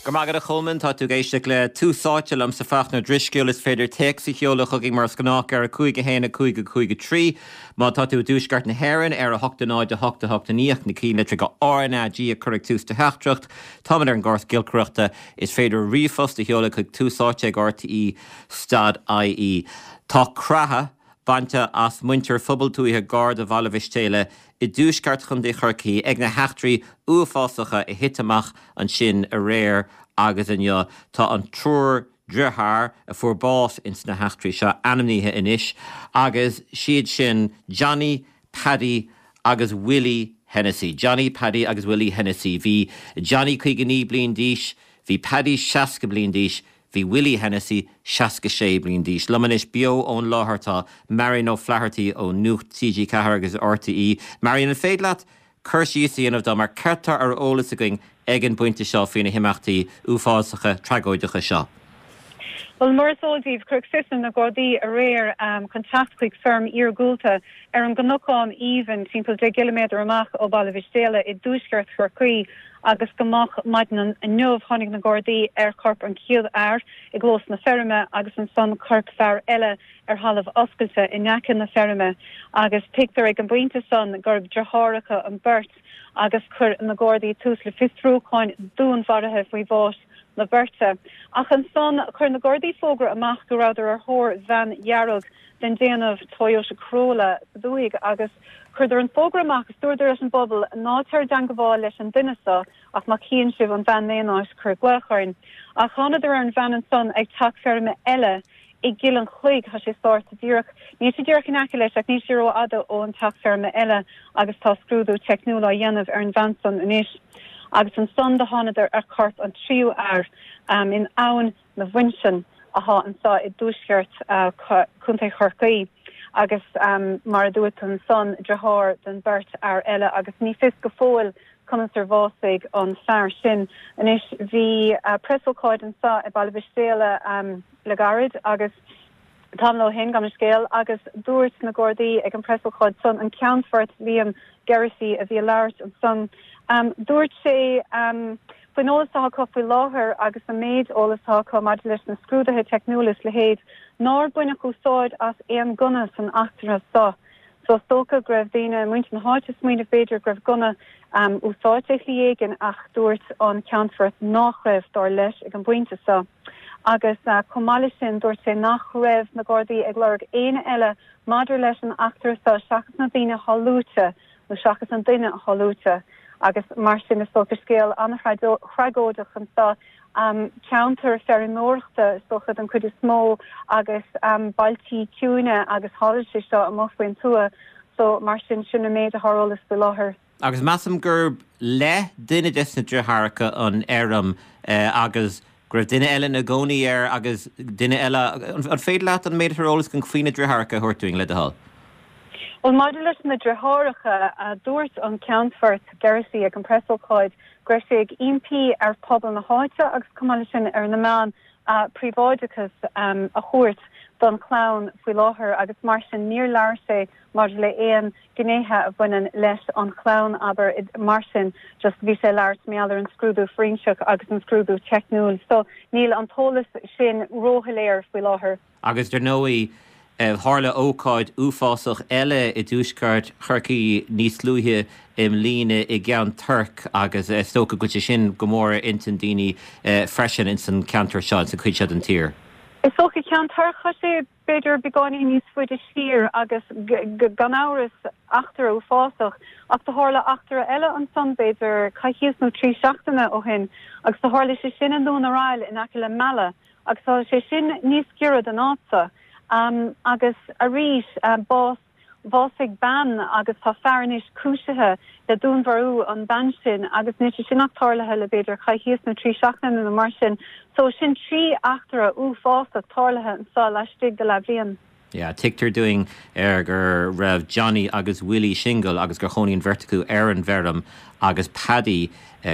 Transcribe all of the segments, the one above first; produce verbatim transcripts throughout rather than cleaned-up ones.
Go raibh maith agat a Cholmáin, tá tú ag éisteacht le Tús Áite liomsa Fachtna Ó Drisceoil is féidir téacs a sheoladh chugainn mar is gnách ar a cúig a haon a cúig a cúig a trí. Má tá tú i dtuaisceart na hÉireann ar a hocht a náid a hocht a hocht a naoi ach na cinnlitreacha RnaG a chur ag tús do theachtaireacht. Táimid ar an gcóras giolcaireachta. Is féidir ríomhphost a sheoladh chuig Tús Áite ag RTE dot IE. Tá creathadh bainte as muintir phobal tuaithe gar do Bhaile Mhistéala i dtuaisceart Chontae Chorcaí ag na heachtraí uafásacha a thit amach ansin aréir agus inniu. Tá an triúr dearthár a fuair bás ins na heachtraí seo ainmnithe anois agus siad sin Johnny, Paddy agus Willie Hennessy. Johnny, Paddy agus Willie Hennessy. Bhí Johnny caoga naoi bliain d'aois, bhí Paddy seasca bliain d'aois, Bhí Willie Hennessy seasca sé bliain d'aois. Liom anois beo ón láthair tá Marian O'Flaherty ó Nuacht TG Ceathair agus RTÉ. Marian, an féidir leat cur síos a dhéanamh dom ar céard atá ar eolas againn ag an bpointe seo faoi na himeachtaí uafásacha tragóideacha seo? Bhuel, mar is eol daoibh, cuireadh fios ar na Gardaí aréir chun teacht chuig feirm iargúlta ar an gCnocán Aoibhinn, timpeall deich gciliméadar amach ó Bhaile Mhistéala i dtuaisceart Chorcaí. Agus go moch maidin inniu tháinig na Gardaí ar chorp an chéad fhear i gclós na feirme agus ansan corp fear eile ar thalamh oscailte in aice na feirme agus tuigtear ag an bpointe san gurb deartháireacha an beirt agus chuir na Gardaí tús le fiosrúcháin dúnmharaithe faoi bhás na beirte. Ach ansan chuir na Gardaí fógra amach go rabhadar ar thóir veain dhearg den déanamh Toyota Corolla sa dúthaigh agus chuireadar an fógra amach agus dúradar leis an bpobal ná téir i dteangabháil leis an duine so ach má chíonn sibh an veain in aon áit cuir glaoch orainn. Ach thánadar ar an veain ansan ag teach feirme eile i gCill an Chloig, tá sé sáite díreach, níl sé díreach in aice leis ach níl sé rófhada ón teach feirme eile agus tá scrúdú teicniúil á dhéanamh ar an veain san anois. Agus ansan do thánadar ar chorp an tríú fhear in Abhainn na bhFuinseann athá anso i dtuaisceart Chontae Chorcaí agus mar a dúirt tú ansan, deartháir den bheirt fhear eile agus ní fios go fóill conas ar bhásaigh an fear sin. Anois bhí preasócáid anso i Baile Mhistéala le gairid agus tamall ó shin, gabh mo leithscéal, agus dúirt na Gardaí ag an preasócáid san, an Ceannfort Liam Geraghty a bhí ag labhairt ansan, dúirt sé faoin eolas atá acu faoi láthair agus an méid eolas atá acu maidir leis na scrúduithe teicniúla is leithéid, nár baineadh úsáid as aon gunna san eachtra seo. So is dócha go raibh daoine, muintir na háite ag smaoineamh b'fhéidir go raibh gunna úsáidte i shlí éigin ach dúirt an Ceannfort nach raibh, dar leis, ag an bpointe seo. Agus chomh maith leis sin dúirt sé nach raibh na Gardaí ag lorg éinne eile maidir leis an eachtra seo seachas na daoine atá luaite nó seachas an duine atá luaite. Agus mar sin is dócha scéal an-thragóideach anseo, ceantar feirmeoireachta is dócha den chuid is mó agus bailtí ciúine agus tharla sé seo amuigh faoin tuath so mar sin, sin an méid atá ar eolas faoi láthair. Agus measaim gurb le duine des na deartháireacha an fheirm agus go raibh duine eile ina gcónaí air agus duine eile, an féidir leat an méid atá ar eolas againn faoi na deartháireacha a thabhairt dúinn, le do thoil? Bhuel, maidir leis na deartháireacha, dúirt an Ceannfort Geraghty ag an preasócáid go raibh sé ag impí ar phobal na háite agus chomh maith leis sin ar na meáin príobháideachas a thabhairt don chlann faoi láthair agus mar sin níor labhair sé maidir le aon gnéithe a bhaineann leis an chlann, abair, mar sin just bhí sé ag labhairt mar gheall ar an scrúdú fóiréinseach agus an scrúdú teicniúil. So níl an t-eolas sin róshoiléir faoi láthair. Agus dar ndóigh, tharla ócáid uafásach eile i dtuaisceart Chorcaí níos luaithe i mbliana i gCeann Toirc agus is dócha go bhfuil sé sin go mór ar intinn daoine freisin ins an ceantar seo, ins an chuid seo den tír. Is dócha Ceann Toirc, tá sé b'fhéidir beagáinín níos faide siar agus gan amhras eachtra uafásach ach do tharla eachtra eile ansan b'fhéidir coicíos nó trí seachtaine ó shin agus do tharla sé sin i nDún Araill in aice le Meala agus tá sé sin níos giorra don áit seo. Agus arís, bás, bhásaigh bean agus tá fear anois cúisithe le dúnmharú an bean sin agus níl sé sin ach tarlaithe le b'fhéidir coicíos nó trí seachtaine nó mar sin. So sin trí eachtra uafásach tarlaithe anseo laistigh de leathbhliain. Yeah, tuigtear dúinn ar go raibh Johnny agus Willie singil agus gur chónaigh an bheirt acu ar an bhfeirm agus Paddy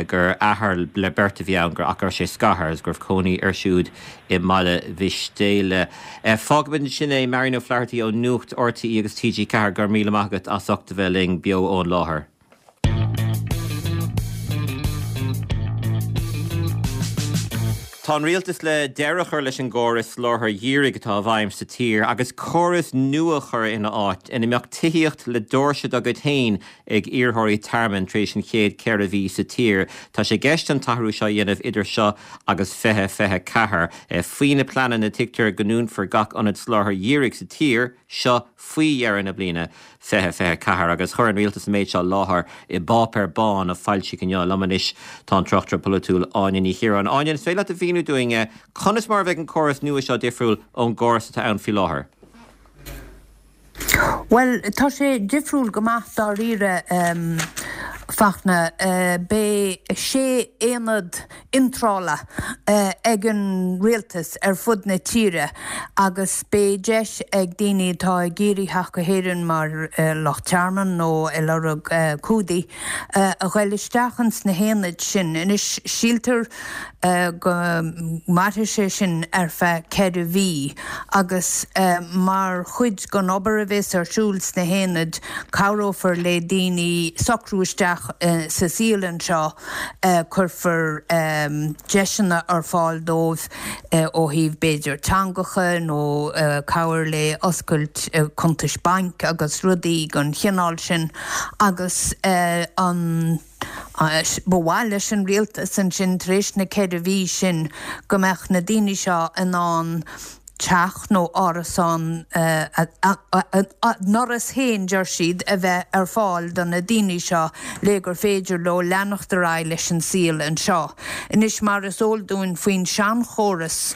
gur athair le beirt a bhí ann gur ach go raibh sé scartha agus go raibh cónaí air siúd i mBaile Mhistéala. Fágfaimid ansin é, Marian O'Flaherty ó Nuacht RTÉ agus TG Ceathair, go raibh míle maith agat as ucht a bheith linn beo ón láthair. Tá an rialtas le deireadh a chur leis an gcóras soláthair dhírigh atá i bhfeidhm sa tír agus córas nua a chur ina áit ina mbeadh tithíocht le doirse dá gcuid féin ag iarrthóirí tearmainn tar éis an chéad ceithre mhí sa tír. Tá sé i gceist an t-athrú seo a dhéanamh idir seo agus fiche fiche ceathair. Faoi na pleananna tuigtear go ndúnfar gach ionad soláthair dhírigh sa tír seo faoi dheireadh na bliana fiche fiche ceathair agus chuir an rialtas an méid seo i láthair i bpáipéar bán a foilsíodh inniu. Liom anois tá an tráchtaire polaitiúil Áine Ní Chiaráin. Áine, is féidir leat a mhíniú dúinn conas mar a bheidh an córas nua seo difriúil ón gcóras atá ann faoi láthair? Bhuel, tá sé difriúil go maith dáiríre, Fachtna. Beidh sé aonad iontrála ag an rialtas ar fud na tíre agus beidh deis ag daoine atá ag iarraidh theacht go hÉirinn mar lucht tearmainn nó ag lorg cumhdaigh a ghoil isteach ins na haonaid sin. Anois, síltear go mairfidh sé sin ar feadh ceithre mhí agus mar chuid den obair a bheas ar siúl sna haonaid cabhrófar le daoine socrú isteach sa saol anseo, cuirfear deiseanna ar fáil dóibh ó thaobh b'fhéidir teangacha nó cabhair le oscailt cuntais bainc agus rudaí den chineál sin agus an Ba mhaith leis an rialtas ansin tar éis na ceithre mhí sin go mbeadh na daoine seo in ann teach nó árasán, a ndoras féin deir siad, a bheith ar fáil do na daoine seo le gur féidir leo leanacht ar aghaidh leis an saol anseo. Anois mar is eol dúinn faoin seanchóras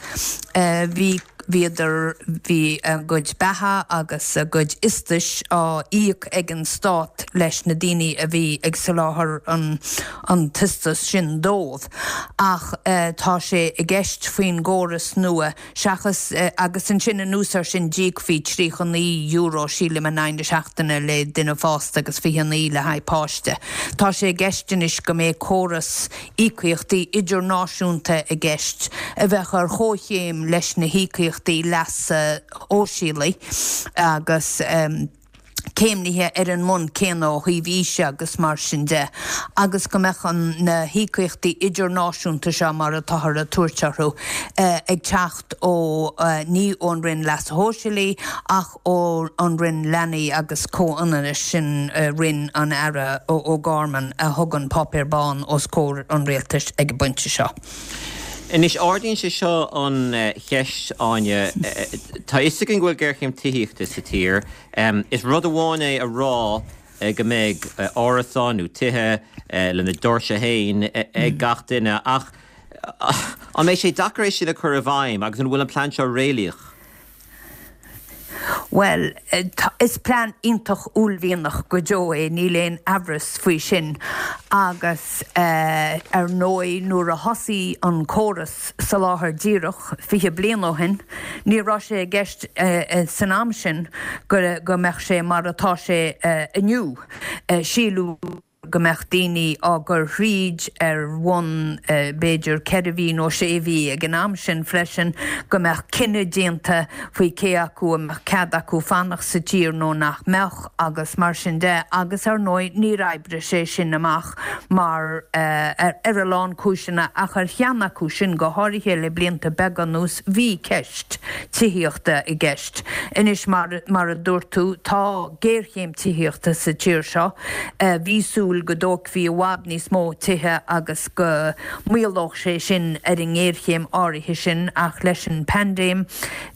bhí bhíodar, bhí a gcuid beatha agus a gcuid iostais á íoc ag an stát leis na daoine a bhí ag soláthar an an t-iostas sin dóibh. Ach tá sé i gceist faoin gcóras nua, seachas, agus ansin anuas air sin d'íocfaí tríocha naoi euro, sílim, in aghaidh na seachtaine le duine fásta agus fiche naoi le haghaidh páiste. Tá sé i gceist anois go mbeidh córas íocaíochtaí idirnáisiúnta i gceist a bheadh ar chomhchéim leis na híocaíochtaí leasa shóisialaigh agus céimnithe ar an mbonn céanna ó thaobh aoise agus mar sin de, agus go mbeadh na híocaíochtaí idirnáisiúnta seo, mar atáthar ag tabhairt orthu, ag teacht ó, ní ón Roinn Leasa Shóisialaigh ach ó an Roinn Leanaí agus Comhionannais, sin Roinn an Aire O'Gorman a thug an Páipéar Bán os comhair an Rialtais ag an bpointe seo. Anois, ardaíonn sé seo an cheist, Áine, tá a fhios againn go bhfuil géarchéim tithíochta sa tír. Is rud amháin é a rá go mbeidh árasáin nó tithe lena ndoirse féin ag gach duine ach an mbeidh sé deacair é sin a chur i bhfeidhm agus an bhfuil an plean seo réalaíoch? Bhuel, is plean iontach uaillmhianach go deo é, níl aon amhras faoi sin. Agus ar ndóigh nuair a thosaigh an córas soláthar díreach fiche bliain ó shin, ní raibh sé i gceist san am sin go mbeadh sé mar atá sé inniu. Síleadh go mbeadh daoine á gcur thríd ar bhonn b'fhéidir ceithre mhí nó sé mhí ag an am sin freisin, go mbeadh cinneadh déanta faoi cé acu a mbeadh cead acu fanacht sa tír nó nach mbeadh agus mar sin de agus ar ndóigh níor oibrigh sé sin amach mar ar a lán cúiseanna ach ar cheann acu sin go háirithe le blianta beaga anuas bhí ceist tithíochta i gceist. Anois mar mar a dúirt tú tá géarchéim tithíochta sa tír seo. Bhí súil go dtógfaí i bhfad níos mó tithe agus go maolódh sé sin ar an ngéarchéim áirithe sin ach leis an bpaindéim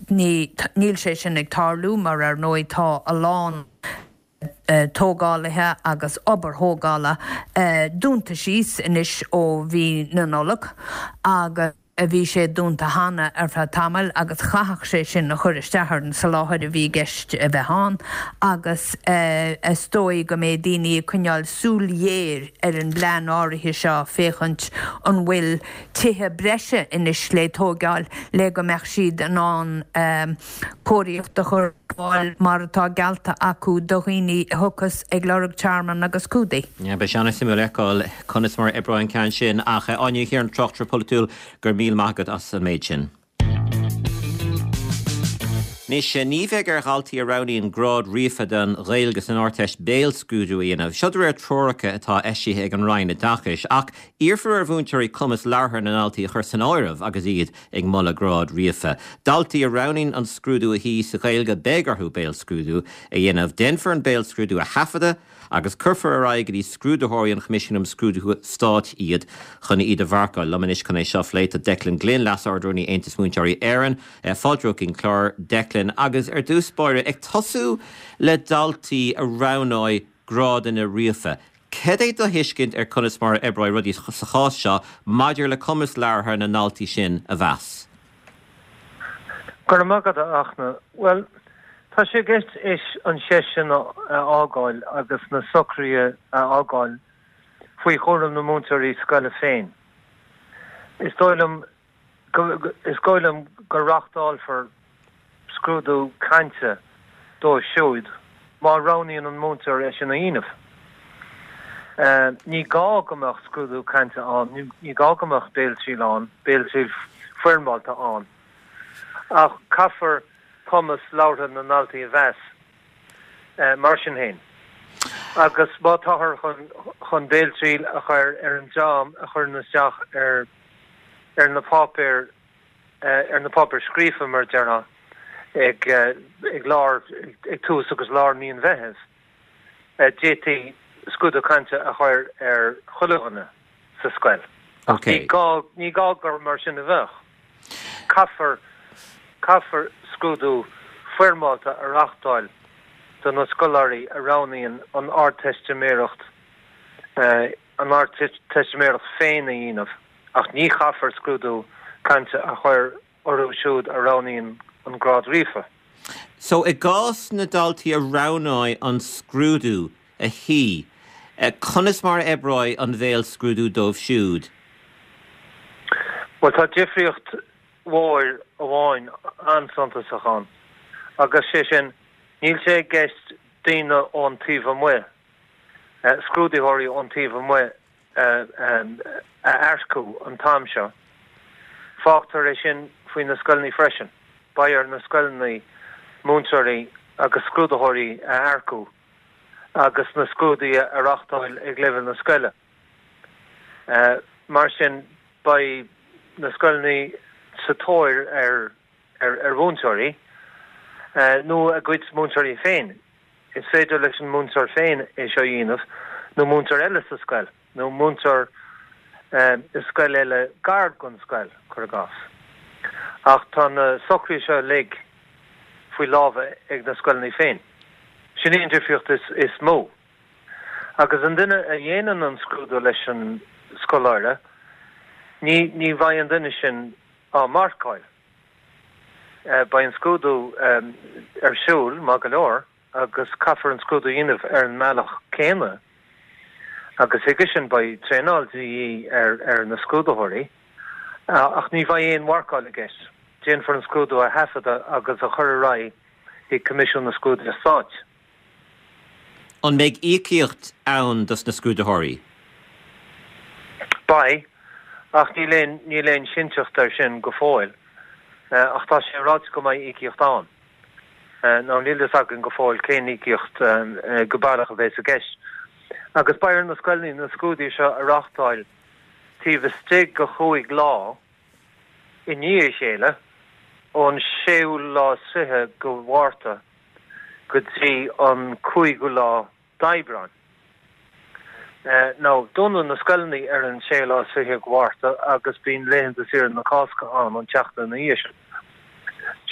níl sé sin ag tarlú mar ar ndóigh tá a lán tógálaithe agus obair thógála dúnta síos anois ó mhí na Nollag agus bhí sé dúnta cheana ar feadh tamaill agus chaithfeadh sé sin a chur isteach ar an soláthar a bhí i gceist a bheith ann agus is dóigh go mbeidh daoine ag coinneáil súil ghéar ar an bplean áirithe seo féachaint an bhfuil tithe breise anois le tógáil le go mbeadh siad in ann cóiríocht a chur ar fáil mar atá geallta acu do dhaoine a thiocfas ag lorg tearmainn agus cumhdaigh. Beidh sé an-suimiúil a fheiceáil conas mar a oibreoidh an ceann sin ach Áine Ní Chiaráin, tráchtaire polaitiúil, go raibh míle maith agat as an méid sin. Anois, ní bheidh ar dhaltaí a roghnaíonn grád ríofa den Ghaeilge san Ardteist béalscrúdú a dhéanamh. Seo de réir treoracha atá eisithe ag an Roinn Oideachais, ach iarrfar ar mhúinteoirí cumas labhartha na ndaltaí a chur san áireamh agus iad ag moladh grád ríofa. Daltaí a roghnaíonn an scrúdú a shuí sa Ghaeilge beidh orthu béalscrúdú a dhéanamh. Déanfar an béalscrúdú a thaifeadadh agus cuirfear ar aghaidh go dtí scrúdaitheoirí an Choimisiúin um Scrúduithe Stáit iad chun iad a mharcáil. Liom anois chun é seo a phlé tá Declan Glynn, Leas-Ard-Rúnaí Aontas Múinteoirí Éireann. Fáilte romhat chuig an chlár, Declan, agus ar dtús báire, ag tosú le daltaí a roghnóidh grádanna ríofa. Cad é do thuiscint ar conas mar a oibreoidh rudaí sa chás seo maidir le cumas labhartha na ndaltaí sin a mheas? Go raibh maith agat, a Fhachtna. Bhuel, tá sé i gceist is an cheist sin a fhágáil agus na socruithe a fhágáil faoi chúram na múinteoirí scoile féin. Is dóigh liom is dóigh liom go reáchtálfar scrúdú cainte dóibh siúd má roghnaíonn an múinteoir é sin a dhéanamh. Ní gá go mbeadh scrúdú cainte ann, ní gá go mbeadh béaltriail ann, béaltriail foirmeálta ann, ach caithfear cumas labhartha na ndaltaí a mheas mar sin féin. Agus má táthar chun chun béaltriail a chur ar an dream a chuireann isteach ar ar na páipéir ar na páipéir scríofa mar a déarfá ag ag lár ag tús agus lár mí an Mheithimh, d'fhéadfaí scrúdú cainte a chur ar chuile dhuine sa scoil. Ach ní gá ní gá gur mar sin a bheadh. Caithfear caithfear scrúdú foirmeálta a reáchtáil do na scoláirí a roghnaíonn an Ardteistiméireacht an Ardteistiméireacht féin a dhéanamh, ach ní chaithfear scrúdú cainte a chur orthu siúd a roghnaíonn an grád ríofa. So i gcás na ndaltaí a roghnóidh an scrúdú a shuí, conas mar a oibreoidh an bhéalscrúdú dóibh siúd? Bhuel, tá difríocht mhór amháin an-suntasach ann, agus sé sin, níl sé i gceist daoine ón taobh amuigh, scrúdaitheoirí ón taobh amuigh a earcú an t-am seo. Fágtar é sin faoi na scoileanna freisin. Beidh ar na scoileanna múinteoirí agus scrúdaitheoirí a earcú agus na scrúduithe a reáchtáil ag leibhéal na scoile. Mar sin, beidh na scoileanna sa tóir ar ar mhúinteoirí nó a gcuid múinteoirí féin. Is féidir leis an múinteoir féin é seo a dhéanamh nó múinteoir eile sa scoil nó múinteoir i scoil eile gar don scoil, cuir i gcás. Ach tá na socruithe seo uilig faoi lámha ag na scoileanna féin. Sin í an difríocht is is mó. Agus an duine a dhéanann an scrúdú leis an scoláire, ní ní bheidh an duine sin á marcáil. Beidh an scrúdú ar siúl, maith go leor, agus caithfear an scrúdú a dhéanamh ar an mbealach céanna agus chuige sin beidh traenáil de dhíth ar ar na scrúdaitheoirí, ach ní bheidh aon mharcáil i gceist. Déanfar an scrúdú a thaifeadadh agus a chur ar aghaidh chuig Coimisiún na Scrúduithe Stáit. An mbeidh íocaíocht ann dos na scrúdaitheoirí? Beidh, ach níl aon níl aon chinnteacht air sin go fóill. Ach tá sé ráite go mbeidh íocaíocht ann. Now níl fhios againn go fóill cén íocaíocht go baileach a bheas i gceist. Agus beidh ar na scoileanna na scrúduithe seo a reáchtáil taobh istigh de chúig lá i ndiaidh a chéile, ón séú lá is fiche de Mhárta go dtí an cúigiú lá d'Aibreán. Now, dúnann na scoileanna ar an séú lá is fiche de Mhárta agus bíonn laethanta saoire na Cásca ann an tseachtain ina dhiaidh sin.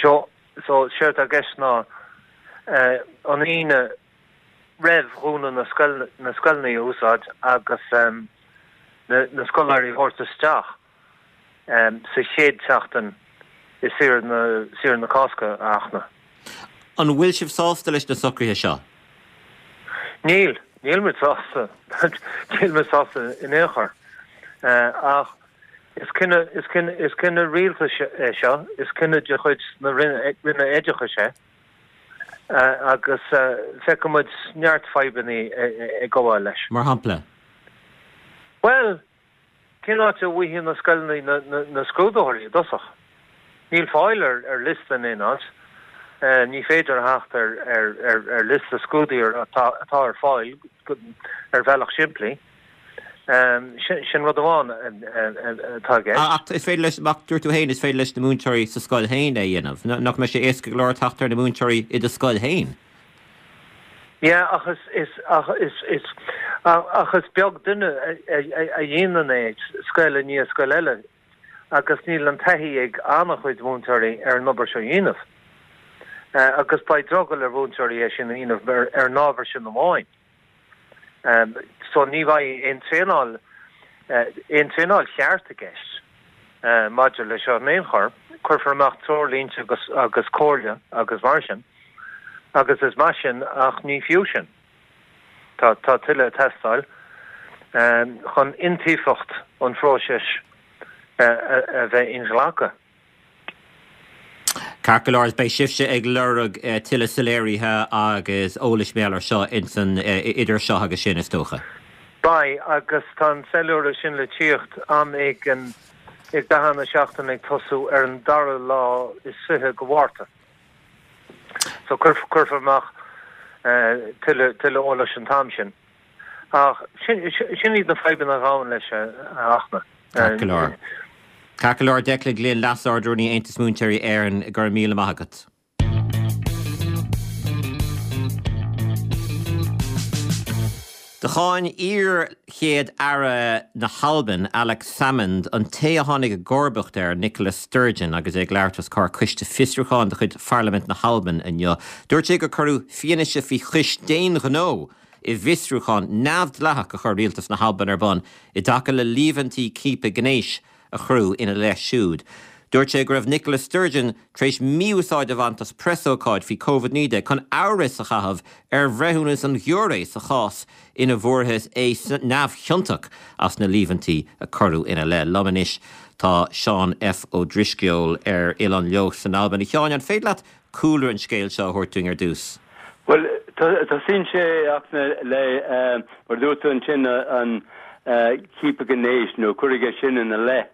So, so séard atá i gceist ná an Aoine roimh dhúnadh na scoil, na scoileanna a úsáid agus na, na scoláirí a thabhairt isteach sa chéad tseachtain i saoire na, saoire na Cásca, a Fhachtna. An bhfuil sibh sásta leis na socruithe seo? Níl, níl muid sásta. Níl muid sásta in aon chor. Ach is cinneadh, is cinneadh, is cinneadh rialtais é seo, is cinneadh de chuid na Roinne, Roinne Oideachais é. Agus feiceann muid neart fadhbanna ag gabháil leis. Mar shampla? Bhuel, cén áit a bhfaighidh na scoileanna na scrúdaitheoirí i dtosach? Níl fáil ar ar liosta in aon áit. Ní féidir theacht ar ar ar ar liosta scrúduithe atá atá ar fáil ar bhealach simplí. Sin rud amháin atá aige. Ach is féidir leis ach dúirt tú féin is féidir leis na múinteoirí sa scoil féin é a dhéanamh. Nach mbeidh sé éasca go leor teacht ar na múinteoirí i do scoil féin? Yeah, ach is is ach is is ach is beag duine a dhéanann é scoil i ndiaidh scoil eile agus níl an taithí ag an-chuid múinteoirí ar an obair seo a dhéanamh. Agus beidh drogall ar mhúinteoirí é sin a dhéanamh ar ar an ábhar sin amháin. So ní bheidh aon traenáil aon traenáil cheart i gceist maidir leis seo in aon chor. Cuirfear amach treoirlínte agus agus comhairle agus mar sin. Agus is maith sin ach ní fiú sin. Tá tá tuilleadh ag teastáil chun iontaofacht an phróisis a bheith inghlactha. Ceart go leor, beidh sibhse ag lorg tuilleadh soiléirithe agus eolais mar gheall air seo insan idir seo agus sin is dócha. Beidh, agus tá an soiléiriú sin le tíocht am éigin i gcaitheamh na seachtaine ag tosú ar an dara lá is fiche de Mhárta. So cuirfear amach tuilleadh eolais an t-am sin. Ach sin iad na fadhbanna a ghabhann leis, a Fhachtna. Ceart go leor. Ceart go leor, Declan Glynn, Leas-Ard-Rúnaí Aontas Múinteoirí Éireann, go raibh míle maith agat. Do cháin iar-Chéad-Aire na hAlban, Alex Salmond, an té a tháinig i gcomharbacht air, Nicola Sturgeon, agus é ag labhairt os comhair coiste fiosrúcháin de chuid Pharlaimint na hAlban inniu. Dúirt sé gur cuireadh fianaise faoi chois d'aon ghnó i bhfiosrúchán neamhdhleathach a chuir rialtas na hAlban ar bun i dtaca le líomhaintí ciapadh gnéis a cuireadh ina leith siúd. Dúirt sé go raibh Nicola Sturgeon tar éis mí-úsáid a bhaint as preasócáid faoi Covid naoi déag chun amhras a chaitheamh ar bhreithiúnas an ghiúiré sa chás ina bhfuarthas é neamhchiontach as na líomhaintí a cuireadh ina leith. Liom anois tá Seán F. Ó Drisceoil ar Oileán Leodh san Albain. A Sheáin, an féidir leat cúlra an scéil seo a thabhairt dúinn ar dtús? Bhuel, tosaíonn sé a Fhachtna le, mar a dúirt tú ansin, an ciapadh gnéis nó cuireadh é sin ina leith.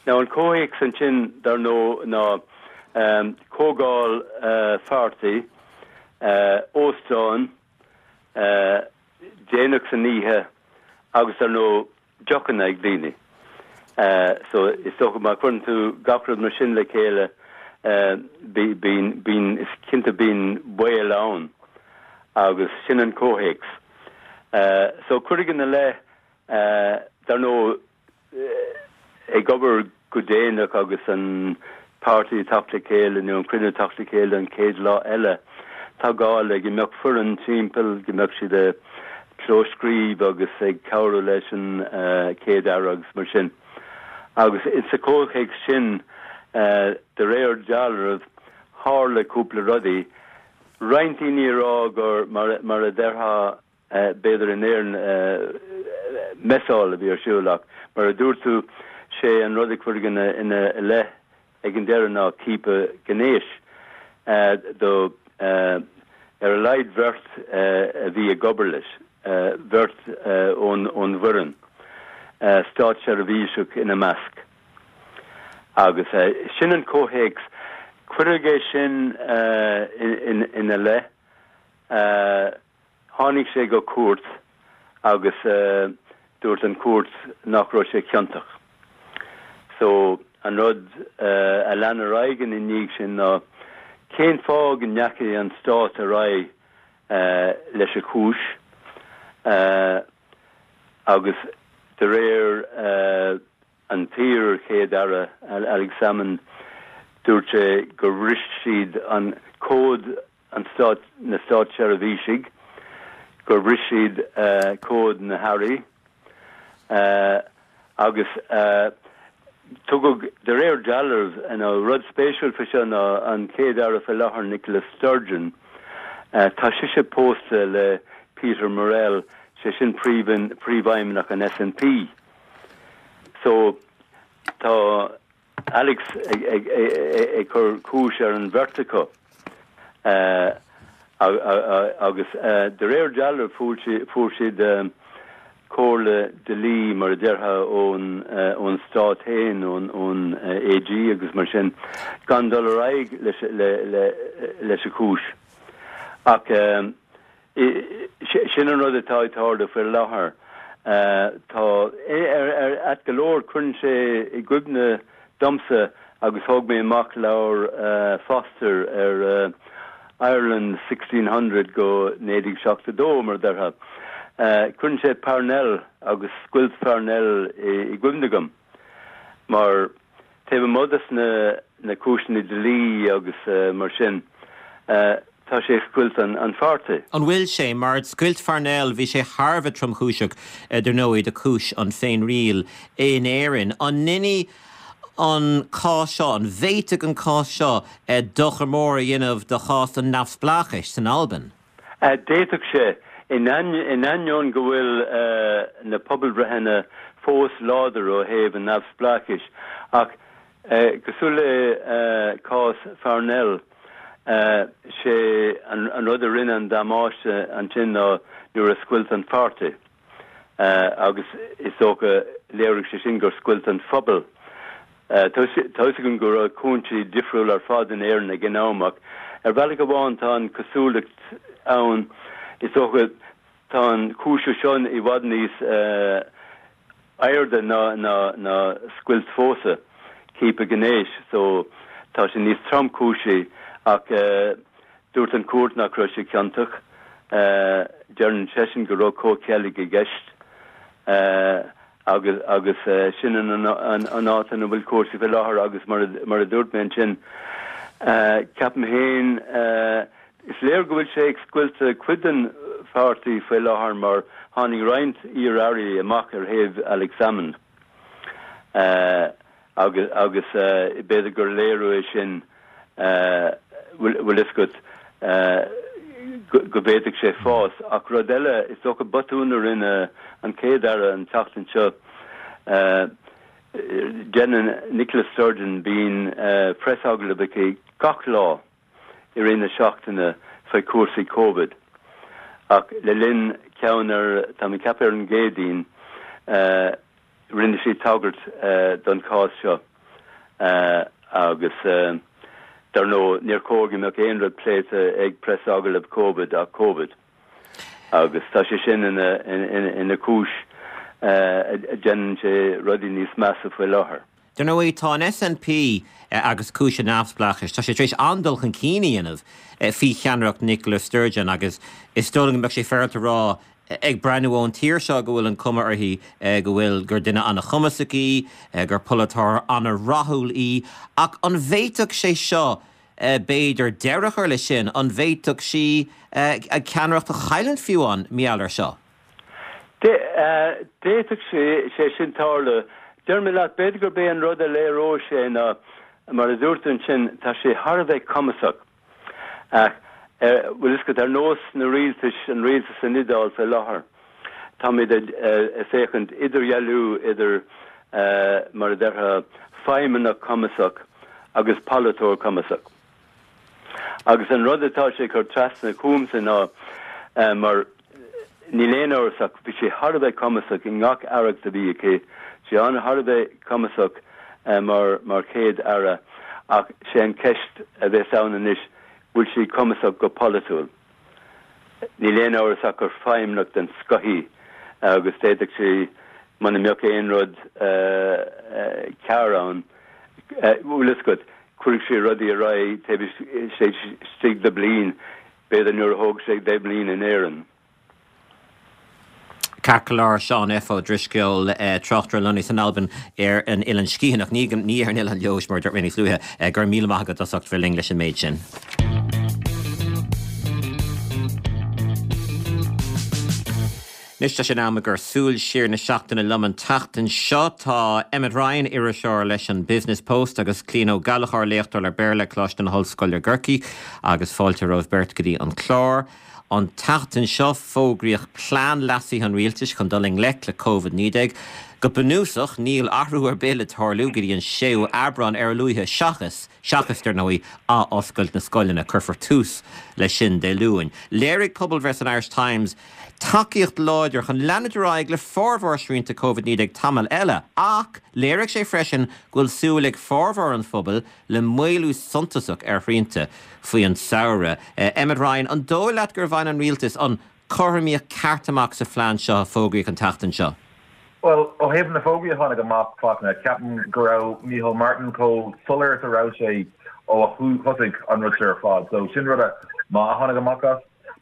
Now an comhthéacs ansin dar ndóigh ná comhdháil pháirtí, óstán, déanach san oíche agus dar ndóigh deochanna ag daoine. So is dócha má chuireann tú gach rud mar sin le chéile bíonn, bíonn, is cinnte bíonn baol ann agus sin an comhthéacs. So cuireadh ina leith dar ndóigh ag obair go déanach agus an páirtí ag teacht le chéile nó an cruinniú ag teacht le chéile an chéad lá eile, tá gá le go mbeadh foireann timpeall, go mbeadh siad ag clóscríobh agus ag cabhrú leis an Chéad-Aire agus mar sin. Agus insa chomhthéacs sin, de réir dealraimh, tharla cúpla rudaí. Roinnt daoine ag rá gur, mar a déarfá, b'fhéidir in Éirinn, messáil a bhí ar siúl ach mar a dúirt tú, sé an rud a cuireadh ina leith ag an deireadh ná ciapadh gnéis do ar a laghad bheirt a bhí ag obair leis, beirt ón bhfoireann, státseirbhíseach ina measc. Agus sin an comhthéacs. Cuireadh é sin ina leith. Tháinig sé go cúirt agus dúirt an chúirt nach raibh sé ciontach. So, an rud a lean ar aghaidh ina ndiaidh sin ná cén fáth go ndeachaigh an stát ar aghaidh leis an chúis agus de réir an t-iar-Chéad-Aire Alex Salmond dúirt sé gur bhris siad an cód an stát, na státseirbhísigh, gur bhris siad cód na hairí agus tugadh, de réir dealraimh, nó rud spéisiúil faoi seo ná an Chéad-Aire faoi láthair Nicola Sturgeon, tá sise pósta le Peter Murrell, sé sin príomhfheidhmeannach an SNP. So tá Alex ag cur cúis ar an bheirt acu agus de réir dealraimh fuair siad comhairle dlí mar a déarfá ón ón stát féin, ón ón AG agus mar sin, gan dul ar aghaidh leis le le leis an chúis. Ach sin an rud atá ag tarlú faoi láthair. Tá ar ar ait go leor cuireann sé i gcuimhne domsa agus thóg mé amach leabhar Foster ar Ireland sixteen hundred go naoi déag seachtó dó mar a déarfá. Cuireann sé Parnell agus scoilt Pharnell i gcuimhne dom mar taobh amuigh des na na cúiseanna dlí agus mar sin tá sé ag scoilt an an pháirtí. An bhfuil sé? Mar scoilt Pharnell bhí sé thar a bheith tromchúiseach dar ndóigh do chúis an féinriail in Éirinn. An ndéanfaidh an cás seo, an bhféadfadh an cás seo dochar mór a dhéanamh do chás an neamhspleáchais san Albain? D'fhéadfadh sé, in ainneoin go bhfuil na pobalbhreitheanna fós láidir ó thaobh an neamhspleáchais, ach cosúil le cás Pharnell, sé an rud a rinne an damáiste ansin ná nuair a scoilt an pháirtí agus is dócha léirigh sé sin gur scoilt an phobal. Tá fhios agam go raibh cúinsí difriúil ar fad in Éirinn ag an am ach ar bhealach amháin tá an cosúlacht ann, is dócha, tá an chúis seo i bhfad níos airde ná ná scoilt phósadh, ciapadh gnéis, so tá sé níos tromchúisí ach dúirt an chúirt nach raibh sé ciontach. Deireann seisean go raibh comhcheilg i gceist. Agus agus sin an an áit ina bhfuil cúrsaí faoi láthair agus mar mar a dúirt mé ansin, ceapaim féin, is léir go bhfuil sé ag scoilteadh cuid den pháirtí faoi láthair mar tháinig roinnt iar-airí amach ar thaobh Alex Salmond agus agus b'fhéidir gur léiriú é sin, bhfuil fhios agat, go bhféadfadh sé fás. Ach rud eile, is dócha botún a rinne an Chéad-Aire an tseachtain seo, déanann Nicola Sturgeon, bíonn preasagallamh aici gach lá i rith na seachtaine faoi chúrsaí Covid. Ach le linn ceann ar, tá mé ag ceapadh ar an gCéadaoin, Rinne sí tagairt don chás seo agus dar ndóigh níor chóir go mbeadh aon rud pléite ag preasagallamh Covid ach Covid agus tá sé sin ina chúis a dhéanann sé rudaí níos measa faoi láthair. Dar ndóigh tá an SNP agus cúis an neamhspleáchais, tá sé tar éis an-dul chun cinn a dhéanamh faoi cheannaireacht Nicola Sturgeon agus is dóigh liom go mbeadh sé féaráilte a rá ag breathnú ón tír seo go bhfuil an cuma uirthi go bhfuil, gur duine an-chumasach í, gur polaiteoir an-rathúil í, ach an bhféadfadh sé seo b'fhéidir deireadh a chur leis sin? An bhféadfadh sí a ceannaireacht a chailliúint fiú amháin mar gheall air seo? D'fhéadfadh sé sin tarlú. Deir mé leat, b'fhéidir gurb é an rud a léireodh sé ná, mar a dúirt tú ansin, tá sé thar a bheith cumasach. Ach, bhfuil fhios agat, ar nós na rialtais, an rialtas san Iodáil faoi láthair, táimid ag féachaint idirdhealú idir, mar a déarfá, feidhmeannach cumasach agus polaiteoir cumasach. Agus an rud atá sé ag cur trasna chugamsa ná, mar níl aon amhras ach bhí sí thar a bheith cumasach i ngach aireacht a bhí aici, sí thar a bheith cumasach mar mar chéad aire ach sé an ceist a bheas ann anois, bhfuil sí cumasach go polaitiúil? Níl aon amhras ach gur feidhmeannach den scoth í agus d'fhéadfadh sí, muna mbeadh aon rud cearr ann, bhfuil fhios agat, cuirfidh sí rudaí ar aghaidh taobh istigh de bliain, b'fhéidir nuair a thóg sé deich mbliana in Éirinn. Ceart go leor, Seán F. Ó Drisceoil, tráchtaire lonnaithe san Albain ar an Oileán Sgitheanach, ní ar an Oileán Leodhais mar a dúirt mé níos luaithe. Go raibh míle maith agat as ucht bheith linn leis an méid sin. Anois tá sé in am ag cur súil siar na seachtaine liom an tseachtain seo. Tá Emmet Ryan, iriseoir leis an Business Post agus Clíona Ó Gallchóir, léachtóir le Béarla, Coláiste na hOllscoile Corcaigh agus fáilte romhaibh beirt go dtí an clár. An tseachtain seo, fógraíodh plean leasaithe an rialtais chun dul i ngleic le Covid naoi déag. Go Go bunúsach níl athrú ar bith le tarlú go dtí an séú Aibreán ar a luaithe seachas seachas dar ndóigh athoscailt na scoileanna cuirfear tús leis sin Dé Luain. Léirigh pobalbhreith san Irish Times tacaíocht láidir chun leanúint ar aghaidh le formhór srianta Covid naoi déag tamall eile, ach léirigh sé freisin go bhfuil súil ag formhór an phobail le maolú suntasach ar shrianta faoi an samhradh. Emmet Ryan, an dóigh leat gur bhain an rialtas an chothromaíocht ceart amach sa phlean seo a fógraíodh an tseachtain seo? Well, ó thaobh na fógraí a tháinig amach Fachtna, ceapaim go raibh Micheál Martin chomh soiléir is a raibh sé ó a thosaigh an rud seo ar fad. So sin rud maith a tháinig amach as.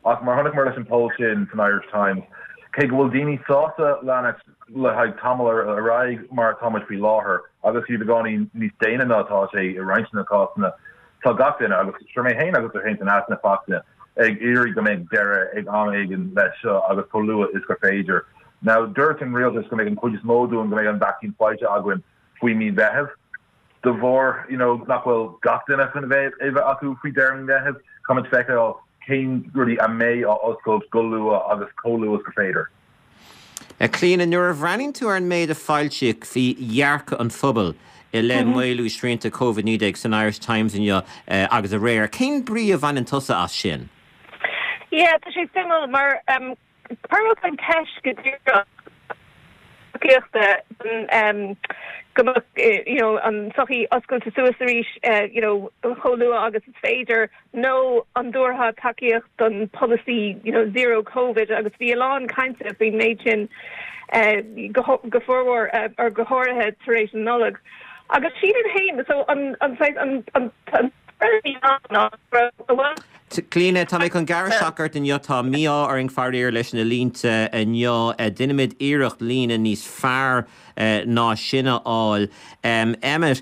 Ach mar chonaiceamar leis an poll sin san Irish Times, cé go bhfuil daoine sásta leanacht le haghaidh tamall ar aghaidh mar atáimid faoi láthair, agus fiú beagáinín níos déine ná atá sé i roinnt na cásanna, tá gach duine, agus sure mé féin agus tú féin san easnamh Fachtna, ag iarraidh go mbeidh deireadh ag am éigin leis seo agus chomh luath is gur féidir. Now, dúirt an rialtas go mbeidh an chuid is mó dúinn go mbeidh an vacsaín faighte againn faoi mí Mheithimh. De bharr you know nach bhfuil gach duine chun a bheith a bheith acu faoi deireadh mí Mheithimh, caithfimid feiceáil cén rudaí a mbeidh á oscailt go luath agus chomh luath is gur féidir. A Chlíona, nuair a bhreathnaíonn tú ar an méid a foilsíodh faoi dhearcadh an phobail i leith maolú srianta Covid naoi déag san Irish Times inniu agus aréir, cén brí a bhaineann tusa as sin? Yeah, tá sé suimiúil mar cuireadh an ceist go díreach tacaíochta go mbeadh you know an tsochaí oscailte suas arís you know chomh luath agus is féidir nó an dtabharfá tacaíocht don polasaí you know zero covid agus bhí a lán cainte faoin méid sin go go formhór or go háirithe tar éis an Nollag. Agus sílim féin so an an an an an Clíona, tá mé chun gearradh isteach ort inniu, tá mí-ádh orainn faraor leis na línte inniu. Déanfaimid iarracht líne níos fearr ná sin a fháil. Emmet,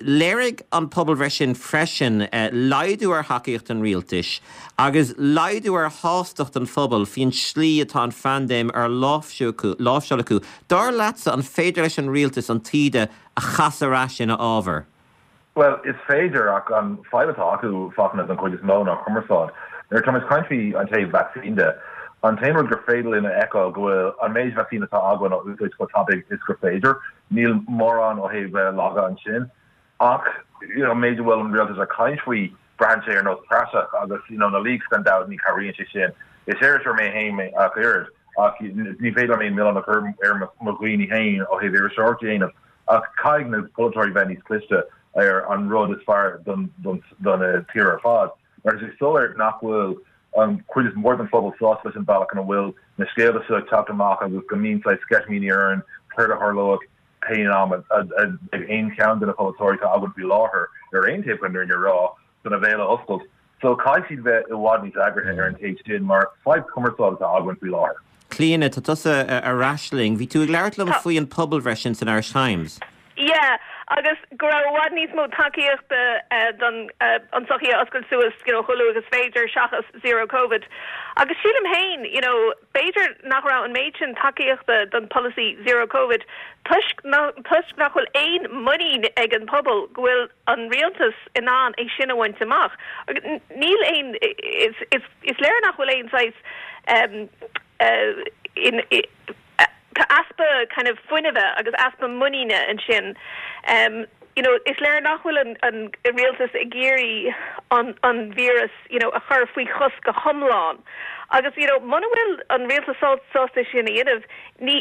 léirigh an pobalbhreith sin freisin laghdú ar thacaíocht an rialtais agus laghdú ar shástacht an phobail faoin slí atá an phaindéim ar láimhseáil acu. Dar leatsa, an féidir leis an rialtas an taoide a chasadh ar ais ina fhábhar? Bhuel, is féidir, ach an fadhb atá acu, Fachtna, don chuid is mó ná cumarsáid. Nuair atá muid ag caint faoi an taobh vacsaín de, an t-aon rud gur féidir linn a fheiceáil go bhfuil an méid vacsaín atá againn á úsáid chomh tapaidh is gur féidir. Níl mórán ó thaobh laga ansin. Ach you know, an méid a bhfuil an rialtas ag caint faoi, braitheann sé ar nós praiseach agus you know, na leaks gan dabht ní chabhraíonn sé sin. Is iriseoir mé féin mé ach oiread, ach ní féidir liom aon milleán a chur ar mo dhaoine féin ó thaobh iriseoireacht a dhéanamh. Ach caithfidh na polaiteoirí bheith níos cliste ar an rud is fearr don tír ar fad. Mar is soiléir nach bhfuil an chuid is mór den phobal sásta leis an bealach ina bhfuil na scéalta seo ag teacht amach agus go mbíonn saghas sceitimíní orainn céard a tharlóidh pé am a ag aon cheann de na polaiteoirí atá againn faoi láthair ar aon taobh chun an fhírinne a rá chun a bhéal a oscailt. So caithfidh siad bheith i bhfad níos eagraithe ar an taobh sin mar fadhb cumarsáide atá againn faoi láthair. Clíona, tá tusa ar ais linn. Bhí tú ag labhairt liom faoi an pobalbhreith sin san Irish Times. Yeah, agus go raibh i bhfad níos mó tacaíochta don an tsochaí a oscailt suas, you know, chomh luath agus is féidir seachas zero covid. Agus sílim féin, you know, b'fhéidir nach raibh an méid sin tacaíochta don polasaí zero covid toisc toisc nach bhfuil aon muinín ag an pobal go bhfuil an rialtas in ann é sin a bhaint amach. Níl aon is is is léir nach bhfuil aon saghas um, uh, in, tá easpa kind of fuinnimh agus easpa muiníne ansin. Um, you know, is léir nach bhfuil an, an rialtas ag iarraidh an, an víreas you know, a chur faoi chos go hiomlán. Agus you know, muna bhfuil an rialtas sásta sin a dhéanamh ní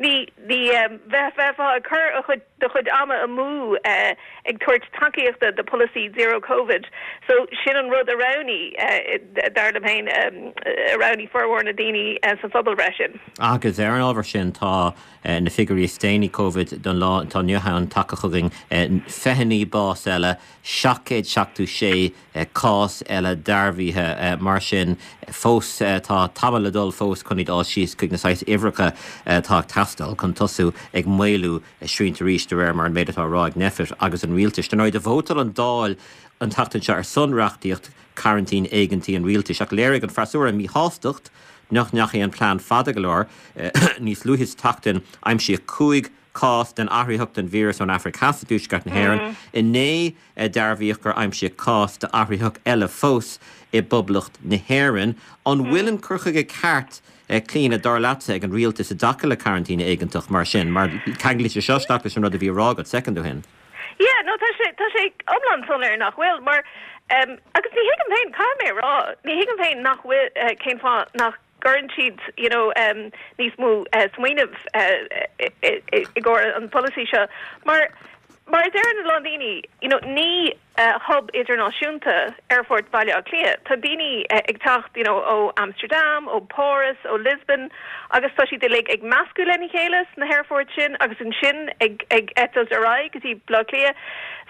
ní ní um, bheith bheith ag cur a chuid do chuid ama amú uh, ag tabhairt tacaíochta do policy zero covid. So sin an rud a roghnaigh uh, dar liom féin um, a roghnaigh formhór na daoine uh, sa phobalbhreith sin. Agus ar an ábhar sin tá uh, na figiúirí is déanaí Covid don lá atá inniu ann tagtha chugainn uh, fiche naoi bás eile seacht gcéad seachtó sé uh, cás eile dearbhaithe uh, mar sin fós uh, tá tamall le dul fós chun iad dul síos chuig na saghas uimhreacha atá ag teastáil chun tosú ag maolú srianta arís de réir mar an méid atá á rá ag Nphet agus an rialtas. Dar ndóigh vótáil an Dáil an tseachtain seo ar son reachtaíocht cearantín éigeantaí an rialtais ach léirigh an freasúra míshástacht nach ndeachaigh an plean fada go leor níos luaithe sa tseachtain aimsíodh cúig cás den athraitheach den víreas ón Afraic Theas i dtuaisceart na hÉireann. Inné dearbhaíodh gur aimsíodh cás d'athraitheach eile fós i bPoblacht na hÉireann. An bhfuil an cur chuige ceart Clíona, dar leatsa, ag an rialtas i dtaca le cearantín éigeantach mar sin, mar ceanglaíonn sé seo isteach leis an rud a bhí á rá agat soicind ó shin. Yeah, no, tá sé, tá sé iomlán soiléir nach bhfuil, mar, um, agus ní thuigim féin, caithfidh mé a rá, ní thuigim féin nach bhfuil, uh, cén fáth nach gcuireann siad, you know, um, níos mó uh, smaoineamh uh, i, i, i gcomhair an polasaí seo, mar Mar a deireann a lán daoine, you know, ní uh, hub idirnáisiúnta Aerfort Bhaile Átha Cliath. Tá daoine uh, ag teacht you know, ó Amsterdam, ó Paris, ó Lisbon, agus tá siad uilig ag meascadh lena chéile sna haerfoirt sin agus ansin ag ag eitilt ar aghaidh go dtí Baile Átha Cliath.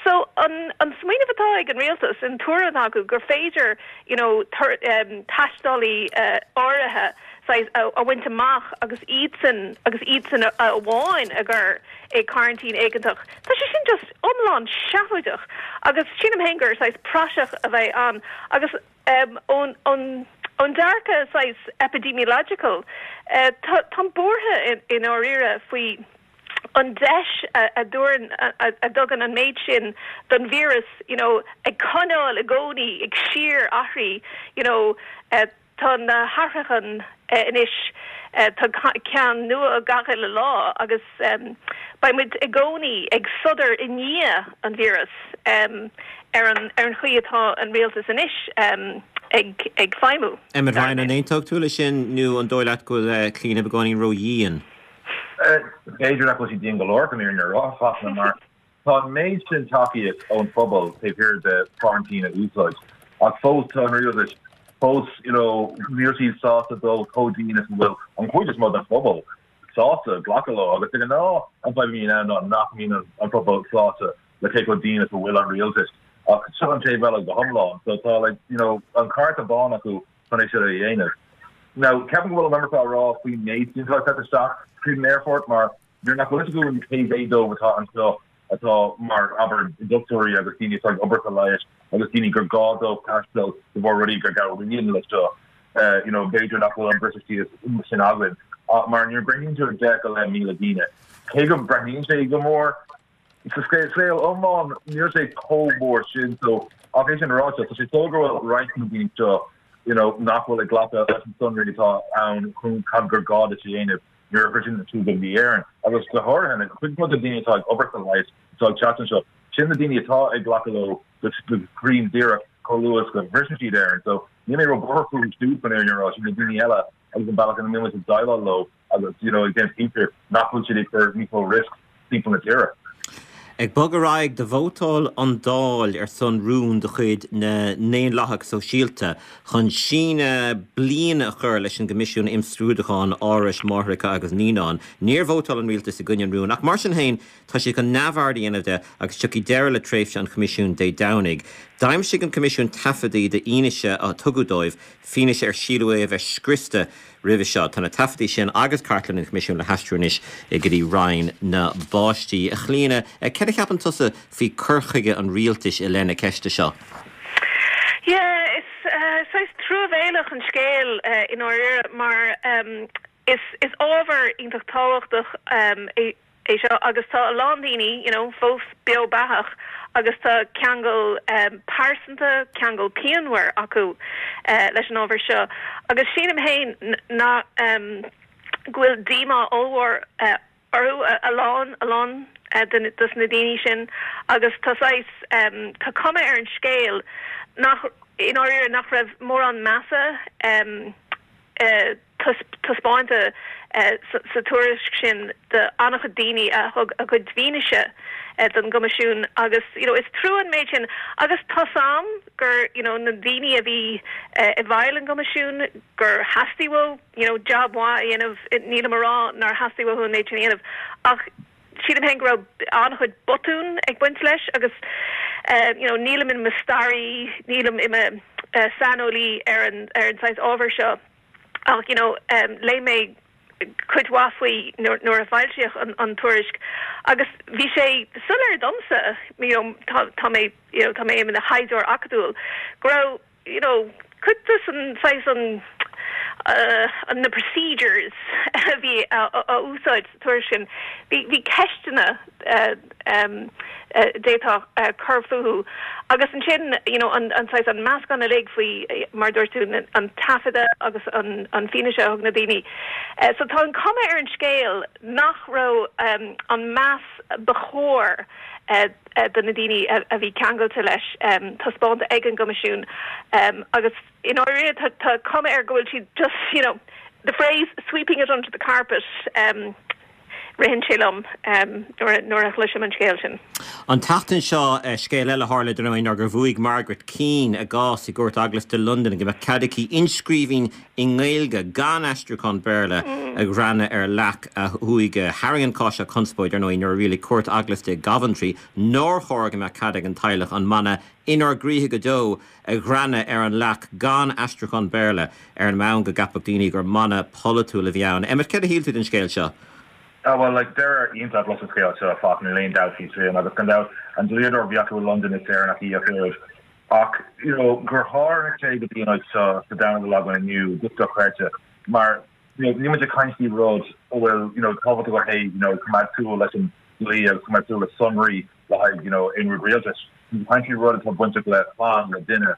So an an smaoineamh atá ag an rialtas an tuairim atá acu gur féidir you know, tur, um, taistealaí uh, áirithe saghas a, a bhaint amach agus iadsan agus iadsan amháin a chur i gcearantín éigeantach. Tá sé sin just iomlán seafóideach agus sílim féin gur saghas praiseach a bheidh ann agus um, ón ón ón dearcadh saghas epidemiological uh, táim buartha in, i ndáiríre faoi an deis a, a dúran a, a, a dtugann an méid sin don víreas you know, ag coinneáil i gcónaí ag síorathrú you know, uh, tá na hathruithe anois tá ceann nua gach uile lá agus um, beidh muid i gcónaí ag sodar i ndiaidh an víreas um, ar an ar an chaoi atá an rialtas anois um, ag ag feidhmiú. Emmet Ryan an aontódh tú leis sin nó an dóigh leat go bhfuil Clíona beagáinín ródhian. B'fhéidir nach bhfuil sí dian go leor go ar rá mar tá an méid sin tacaíocht ón phobal taobh thiar de quarantine a úsáid ach fós tá an rialtas fós you know níl siad sásta dul chomh dian is bhfuil an chuid is mó den phobal sásta glacadh leo agus ag ná an fadhb ná ná nach mbíonn an pobal sásta le cé chomh dian is a bhfuil an rialtas ach seo an taobh eile go hiomlán so tá like you know an cárta bán acu chun é seo a dhéanamh. Now ceapaim go bhfuil an iomarca á rá faoin méid sin atá isteach tríd an aerfort mar nuair nach bhfuil go an cé mhéad dóibh atá anseo atá mar abair dochtúirí agus daoine atá ag obair sa leigheas agus daoine gur gá dóibh taisteal de bharr rudaí gur gabhraíonn le seo uh, you know b'fhéidir nach bhfuil an briseadh sin againn uh, mar nuair breathnaíonn tú deich go leith míle daoine cé go breathnaíonn sé go mór sa scéal iomlán níl sé chomh mór sin so ach é sin ráite tá sé so go bhfuil roinnt na daoine seo you know nach bhfuil ag glacadh leis an sonraí atá ann chun cad gur gá duit a dhéanamh nuair a shroicheann tú go dtí Éirinn agus go háirithe an chuid de daoine atá ag obair sa leigheas atá ag teacht anseo sin na daoine atá ag glacadh leo go cruinn díreach chomh luath go bhriseann siad Éirinn so níl mé róbhuartha fúthu siúd chun ar rá sin na daoine eile agus an bealach ina mbíonn ag déileáil leo agus you know ag déanamh cinnte nach bhfuil siad ag cur níos mó risk timpeall na tíre. Ag bogadh ar aghaidh do vótáil an Dáil ar son rún de chuid na nDaonlathach Sóisialta chun síneadh bliana a chur leis an gCoimisiún Imscrúdúcháin Árais Máithreacha agus Naíonán. Níor vótáil an rialtas i gcoinne an rúin, ach mar sin féin tá sé chun neamhaird a dhéanamh de agus tiocfaidh deireadh le tréimhse an Choimisiúin Dé Domhnaigh. D'aimsigh an Coimisiún taifeadtaí d'fhianaise a tugadh dóibh, fianaise ar síleadh é a bheith scriosta roimhe seo. Tá na taifeadtaí sin agus cartlann an Choimisiúin le haistriú anois go dtí Roinn na bPáistí. A Chlíona, céard a cheapann tusa faoi cur chuige an rialtais i leith na ceiste seo? Yeah, is uh, saghas truamhéalach an scéal uh, i ndáiríre mar um, is is ábhar iontach tábhachtach um, é é seo agus tá a lán daoine you know, fós beo beathach agus tá ceangal um, pearsanta ceangal pianmhar acu uh, leis an ábhar seo. Agus sílim féin ná um, go bhfuil díomá ollmhór uh, orthu a, a lán a lán uh, dos na daoine sin agus tá saghas um, tá cuma ar an scéal nach i ndáiríre nach raibh mórán measa um, uh, taispeánta uh, sa tuairisc sin de an-chuid daoine a thug a gcuid fianaise uh, don gCoimisiún agus you know, is trua an méid sin agus tá a fhios agam gur you know, na daoine a bhí uh, i bhfeighil an gCoimisiún gur theastaigh uathu you know, job mhaith a dhéanamh nílim ag rá nár theastaigh uathu an méid sin a dhéanamh ach sílim féin go raibh an-chuid botún ag baint leis agus uh, you know, nílim i mo staraí nílim i mo uh, saineolaí ar an ar an saghas ábhar seo ach you know, um, léigh mé cuid mhaith faoi nuair a foilsíodh an, an tuairisc agus bhí sé soiléir domsa you know, tá, tá mé you know, tá mé i mo thaighdeoir acadúil go raibh you know, cuid de an saghas an uh, an na procedures a bhí a, a, a úsáid tuairisc sin bhí bhí ceisteanna uh, um, d'fhéadfadh cur fúthu. Agus ansin you know, an, an saghas an meascán uilig faoi mar dúirt tú an taifeadadh agus an, an fianaise a thug na daoine. Uh, so tá an cuma ar an scéal nach raibh um, an meas ba chóir uh, uh, do na daoine a, a bhí ceangailte leis um, taispeánta ag an gCoimisiún um, agus in áirithe tá, tá cuma air go bhfuil siad just you know, the phrase sweeping it under the carpet um, ritheann sé liom um, nuair a chloisim an scéal sin. An tseachtain seo uh, scéal eile tharla den ná gur bhuaigh Margaret Keane a gcás i gcúirt eaglasta Londain go mbeadh cead aici inscríbhinn i nGaeilge gan aistriúchán Béarla mm. a ghreanadh ar leac a huaighe. Tharraing an cás seo conspóid ar ndóigh nuair a rialaigh cúirt eaglasta i gCoventry nár chóir go mbeadh cead ag an teaghlach an mana inár gcroíthe go deo a ghreanadh ar an leac gan aistriúchán Béarla ar an mbonn go gceapfadh daoine gur mana polaitiúil a bhí ann. Emmet céard a shíl tú den scéal seo? Ah, well like deireadh iontach leis an scéal seo fá níl aon dabht faoi sin agus gan dabht an dlíodóir a bhí acu i London is Éireannach í ach oiread ach you know gur tháinig sé go dtí an áit seo sa domhan a bhfuil againn inniu just dochreidte mar you know ní muid ag caint faoi rud a bhfuil you know tábhachtach go hey you know coimeád súil leis an dlí agus coimeád súil le sonraí le haghaidh you know aon rud rialtais caint faoi rud atá bainteach le clann le duine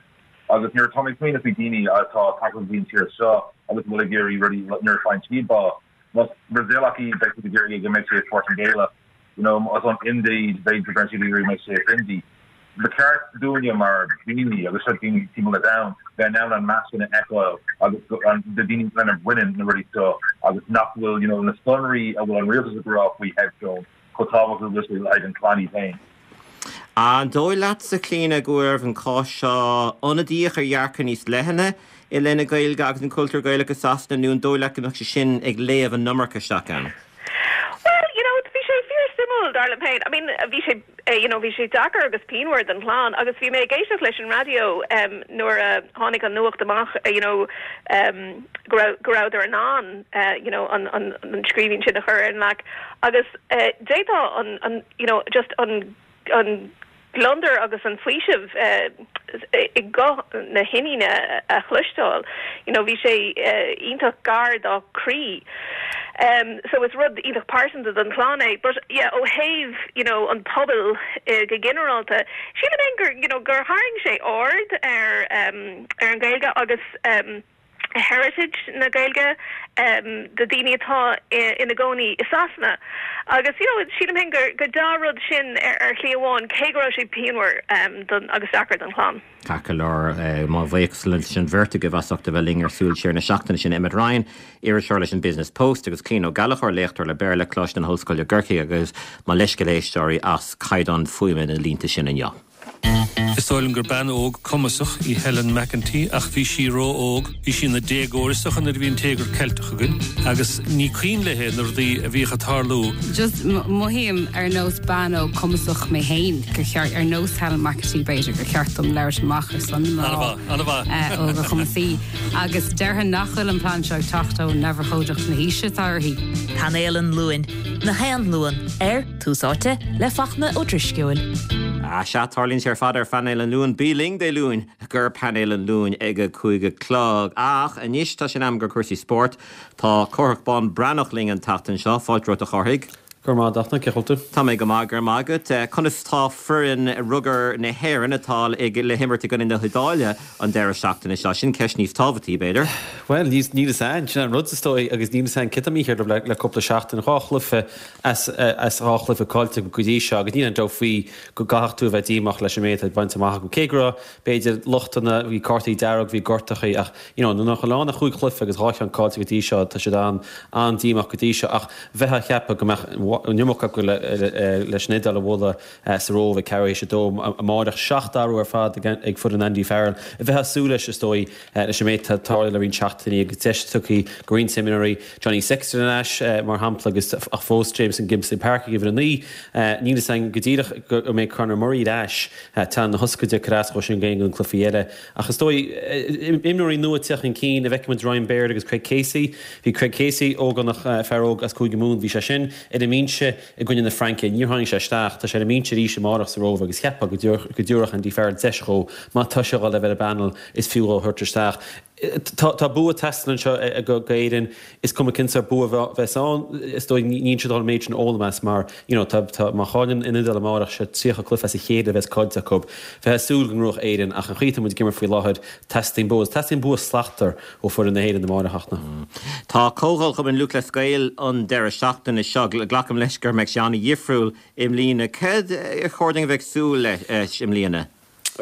agus nuair atá mé ag smaoineamh faoi daoine atá tagtha go dtí an tír seo agus bhfuil ag iarraidh rudaí nuair a faigheann siad bás Más Brasaíleach í beidh siad ag iarraidh go mbeidh sé Portaingéalach you know as an India beidh go siad ag iarraidh mbeidh sé Hindi. Ba cheart dúinne mar daoine agus seo daoine timpeall an domhain bheith in ann an meas sin a fheiceáil agus an na daoine lena mbaineann na rudaí seo agus nach bhfuil you know na sonraí a bhfuil an rialtas ag rá faoi headstone chomh tábhachtach le haghaidh an chlann í féin. An dóigh leatsa Clíona go bhfuil an cás seo ionadaíoch ar dhearcadh níos leithne i leith na Gaeilge agus an cultúr Gaelach i Sasana nó an dóigh leat go mbeadh sé sin ag léamh an iomarca isteach ann? Well, you know, bhí sé fíorsuimiúil dar liom féin. I mean, bhí sé uh, you know, bhí sé deacair agus pianmhar don chlann agus bhí mé ag éisteacht leis an raidió um, nuair a tháinig an nuacht amach uh, you know, um, go rabhadar in ann uh, you know, an, an, an scríbhinn sin a chur ar an leac agus uh, d'fhéadfá an, an you know, just an an gliondar agus an faoiseamh uh, i guth na hiníne a chloisteáil. You know, bhí sé uh, iontach gar dá croí. Um, so is rud iontach pearsanta don chlann é, but yeah, ó thaobh you know, an pobal uh, go ginearálta. Sílim gur you know, gur tharraing sé aird ar um, ar an Gaeilge agus um, heritage na Gaeilge um, do daoine atá ina gcónaí i Sasana. Agus you know, sílim féin gur gur dea-rud sin ar, ar shlí amháin cé go raibh sé pianmhar um, don agus deacair don chlann. Ceart go leor eh, mo bhuíochas leis an bheirt agaibh as ucht a bheith linn ar Súil Siar na seachtaine sin Emmet Ryan, iriseoir leis an Business Post agus Clíona Ó Gallchóir léachtóir le Béarla Coláiste na hOllscoile Corcaigh agus mo leithscéal éisteoirí as caighdeán fuaime na línte sin inniu. Is dóigh liom gur bean óg cumasach í Helen McEntee ach bhí sí ró-óg, bhí sí ina déagóir is dócha nuair a bhí an Téagar Ceilteach againn, agus ní cuimhin léi na rudaí a bhíodh ag tarlú. Just mothaím ar nós bean óg cumasach mé féin gur cheart ar nós Helen McEntee b'fhéidir gur cheart dom labhairt amach ar son óga cumasaí agus déarfainn nach bhfuil an plean seo ag teacht ó neamhurchóideacht na haoise atá uirthi. Painéal an Luain, gach aon Luan ar Tús Áite le Fachtna Ó Drisceoil. A sea tarlaíonn sé ar fad ar phainéal an Luain bí linn Dé Luain gur painéal an Luain ag a cúig a chlog ach anois tá sin am gur cúrsaí spóirt tá Cárthach Bán Breathnach linn an tseachtain seo fáilte romhat a Chárthaigh. Gur má dachna ceholta. Tá mé go maith gur magat conas tá foireann rugair na hÉireann atá ag le himirt i gcoinne na hIodáile an deireadh seachtaine seo sin ceist níos tábhachtaí b'fhéidir. Well níos ní an sin an rud is dóigh agus níl an cita mí le le cúpla seachtain dhá chluiche as as dhá chluiche caillte go dtí seo agus níl aon dabht faoi go gcaithfidh tú bheith díomách leis an méid bainte amach go cé go raibh b'fhéidir lochtanna bhí cártaí dearg bhí gortachaí ach you know, na lána chúig chluiche agus dhá cheann caillte go dtí seo tá siad an an díomách go dtí seo ach bheith a cheapadh go mbeadh an iomarca acu leis an Iodáil a bhualadh sa Róimh ag ceathrú théis a dó amárach seacht athrú ar fad ag foireann Andy Farrell. A bheith súil leis is dóigh leis an méid atá le roinnt seachtainí agus deis tugtha do roinnt imreoirí Johnny Sexton anois mar shampla agus ach fós Jamison Gibson Park ag uimhir a naoi níl a fhios againn go díreach go mbeidh Conor Murray ar ais tá na hoscaide carascho sin gain an cluichí eile. Ach is dóigh imreoirí nua ag teacht chun cinn a bhfeicimid Ryan Baird agus Craig Casey, Bhí Craig Casey ógánach fear óg as Cúige Mumhan bhí sé sin ar an mbinse i gcoinne na Fraince níor tháinig sé isteach tá sé ar an mbinse arís amárach sa Róimh agus cheapfá go dtabharfadh Andy Farrell deis dó má tá sé le bheith ar an bpainéal is fiú a thabhairt isteach. Tá tá bua ag teastáil anseo ag Éirinn is cuma cén sórt bua a bheas ann is dóigh níl siad an méid sin fhoghlaim as mar you know tá tá má chailleann an Iodáil amárach sé tríocha cluiche as a chéile a bheas caillte acu. Bheifeá ag súil go ngnóthódh Éirinn ach an chaoi atá muid ag imirt faoi láthair teastaíonn bua teastaíonn bua slachtmhar ó foireann na hÉireann amárach a Fhachtna. Tá Comhdháil Chumann Lúthchleas Gael an deireadh seachtaine seo glacaim leis go mbeidh sé an-dhifriúil i mbliana. Céard ar chóir dúinn a bheith ag súil leis i mbliana?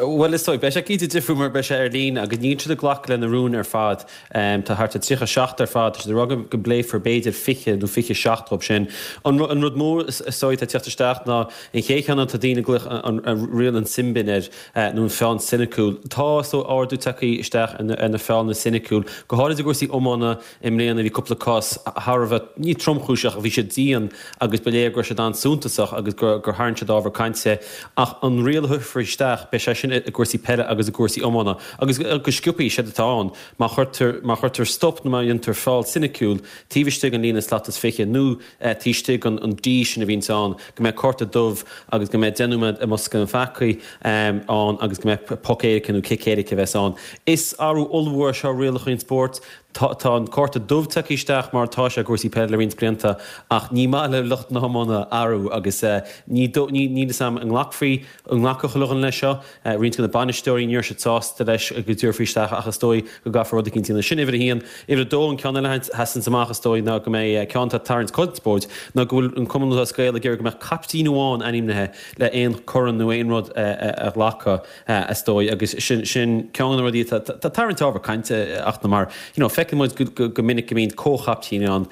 Bhuel is dóigh, beidh sé cinnte difriúil mar beidh sé ar líne agus níl siad ag glacadh le na rúin ar fad. Tá thart ar tríocha seacht ar fad, tá siad ag rá go bpléifear b'fhéidir fiche nó fiche seacht dhóibh sin. An rud mór is dóigh atá ag teacht isteach ná an chéad cheann tá daoine ag glaoch an riail an sin bin air nó an feall soiniciúil. Tá is dóigh ardú tagtha isteach ar na feallanna soiniciúil, go háirid i gcúrsaí iomána i mbliana bhí cúpla cás thar a bheith, ní tromchúiseach ach bhí siad dian agus ba léir go raibh siad an-suntasach agus gur tharraing siad ábhar cainte. Ach an riail a thabharfar isteach, beidh sé sin i gcúrsaí peile agus i gcúrsaí iomána. Agus go sciobtha, séard atá ann, má chuirtear, má chuirtear stop nó má dhéantar feall soiniciúil taobh istigh den líne slat is fiche nó taobh istigh den an D sin a bhíonns ann, go mbeidh cárta dubh agus go mbeidh deich nóiméad i mbosca na bpeacaí ann agus go mbeidh poc éirice nó cic éirice a bheas ann. Is athrú ollmhór é seo ar rialacha an spóirt. Tá tá an cárta dubh tagtha isteach mar atá sé i gcúrsaí peile le roinnt blianta ach ní maith le lucht na hiomána athrú agus ní ní níl fhios a'm an nglacfaí an nglacfadh chuile dhuine leis seo. Roinnt de na bainisteoirí ní raibh siad sásta leis go dtabharfaí isteach ach is dóigh go gcaithfear rud eicínt a dhéanamh. Sin uimhir a haon. Uimhir a dó an ceann eile a sheasanns amach is dóigh ná go mbeidh ceann atá ag tarraingt conspóid ná go bhfuil an Cumann Lúthchleas Gael ag iarraidh go mbeadh caiptín amháin ainmnithe le aon corn nó aon rud a ghlacadh is dóigh agus sin sin ceann de na rudaí atá ag tarraingt ábhar cainte ach mar you know feiceann muid go go minic go mbíonn comhchaiptín ann.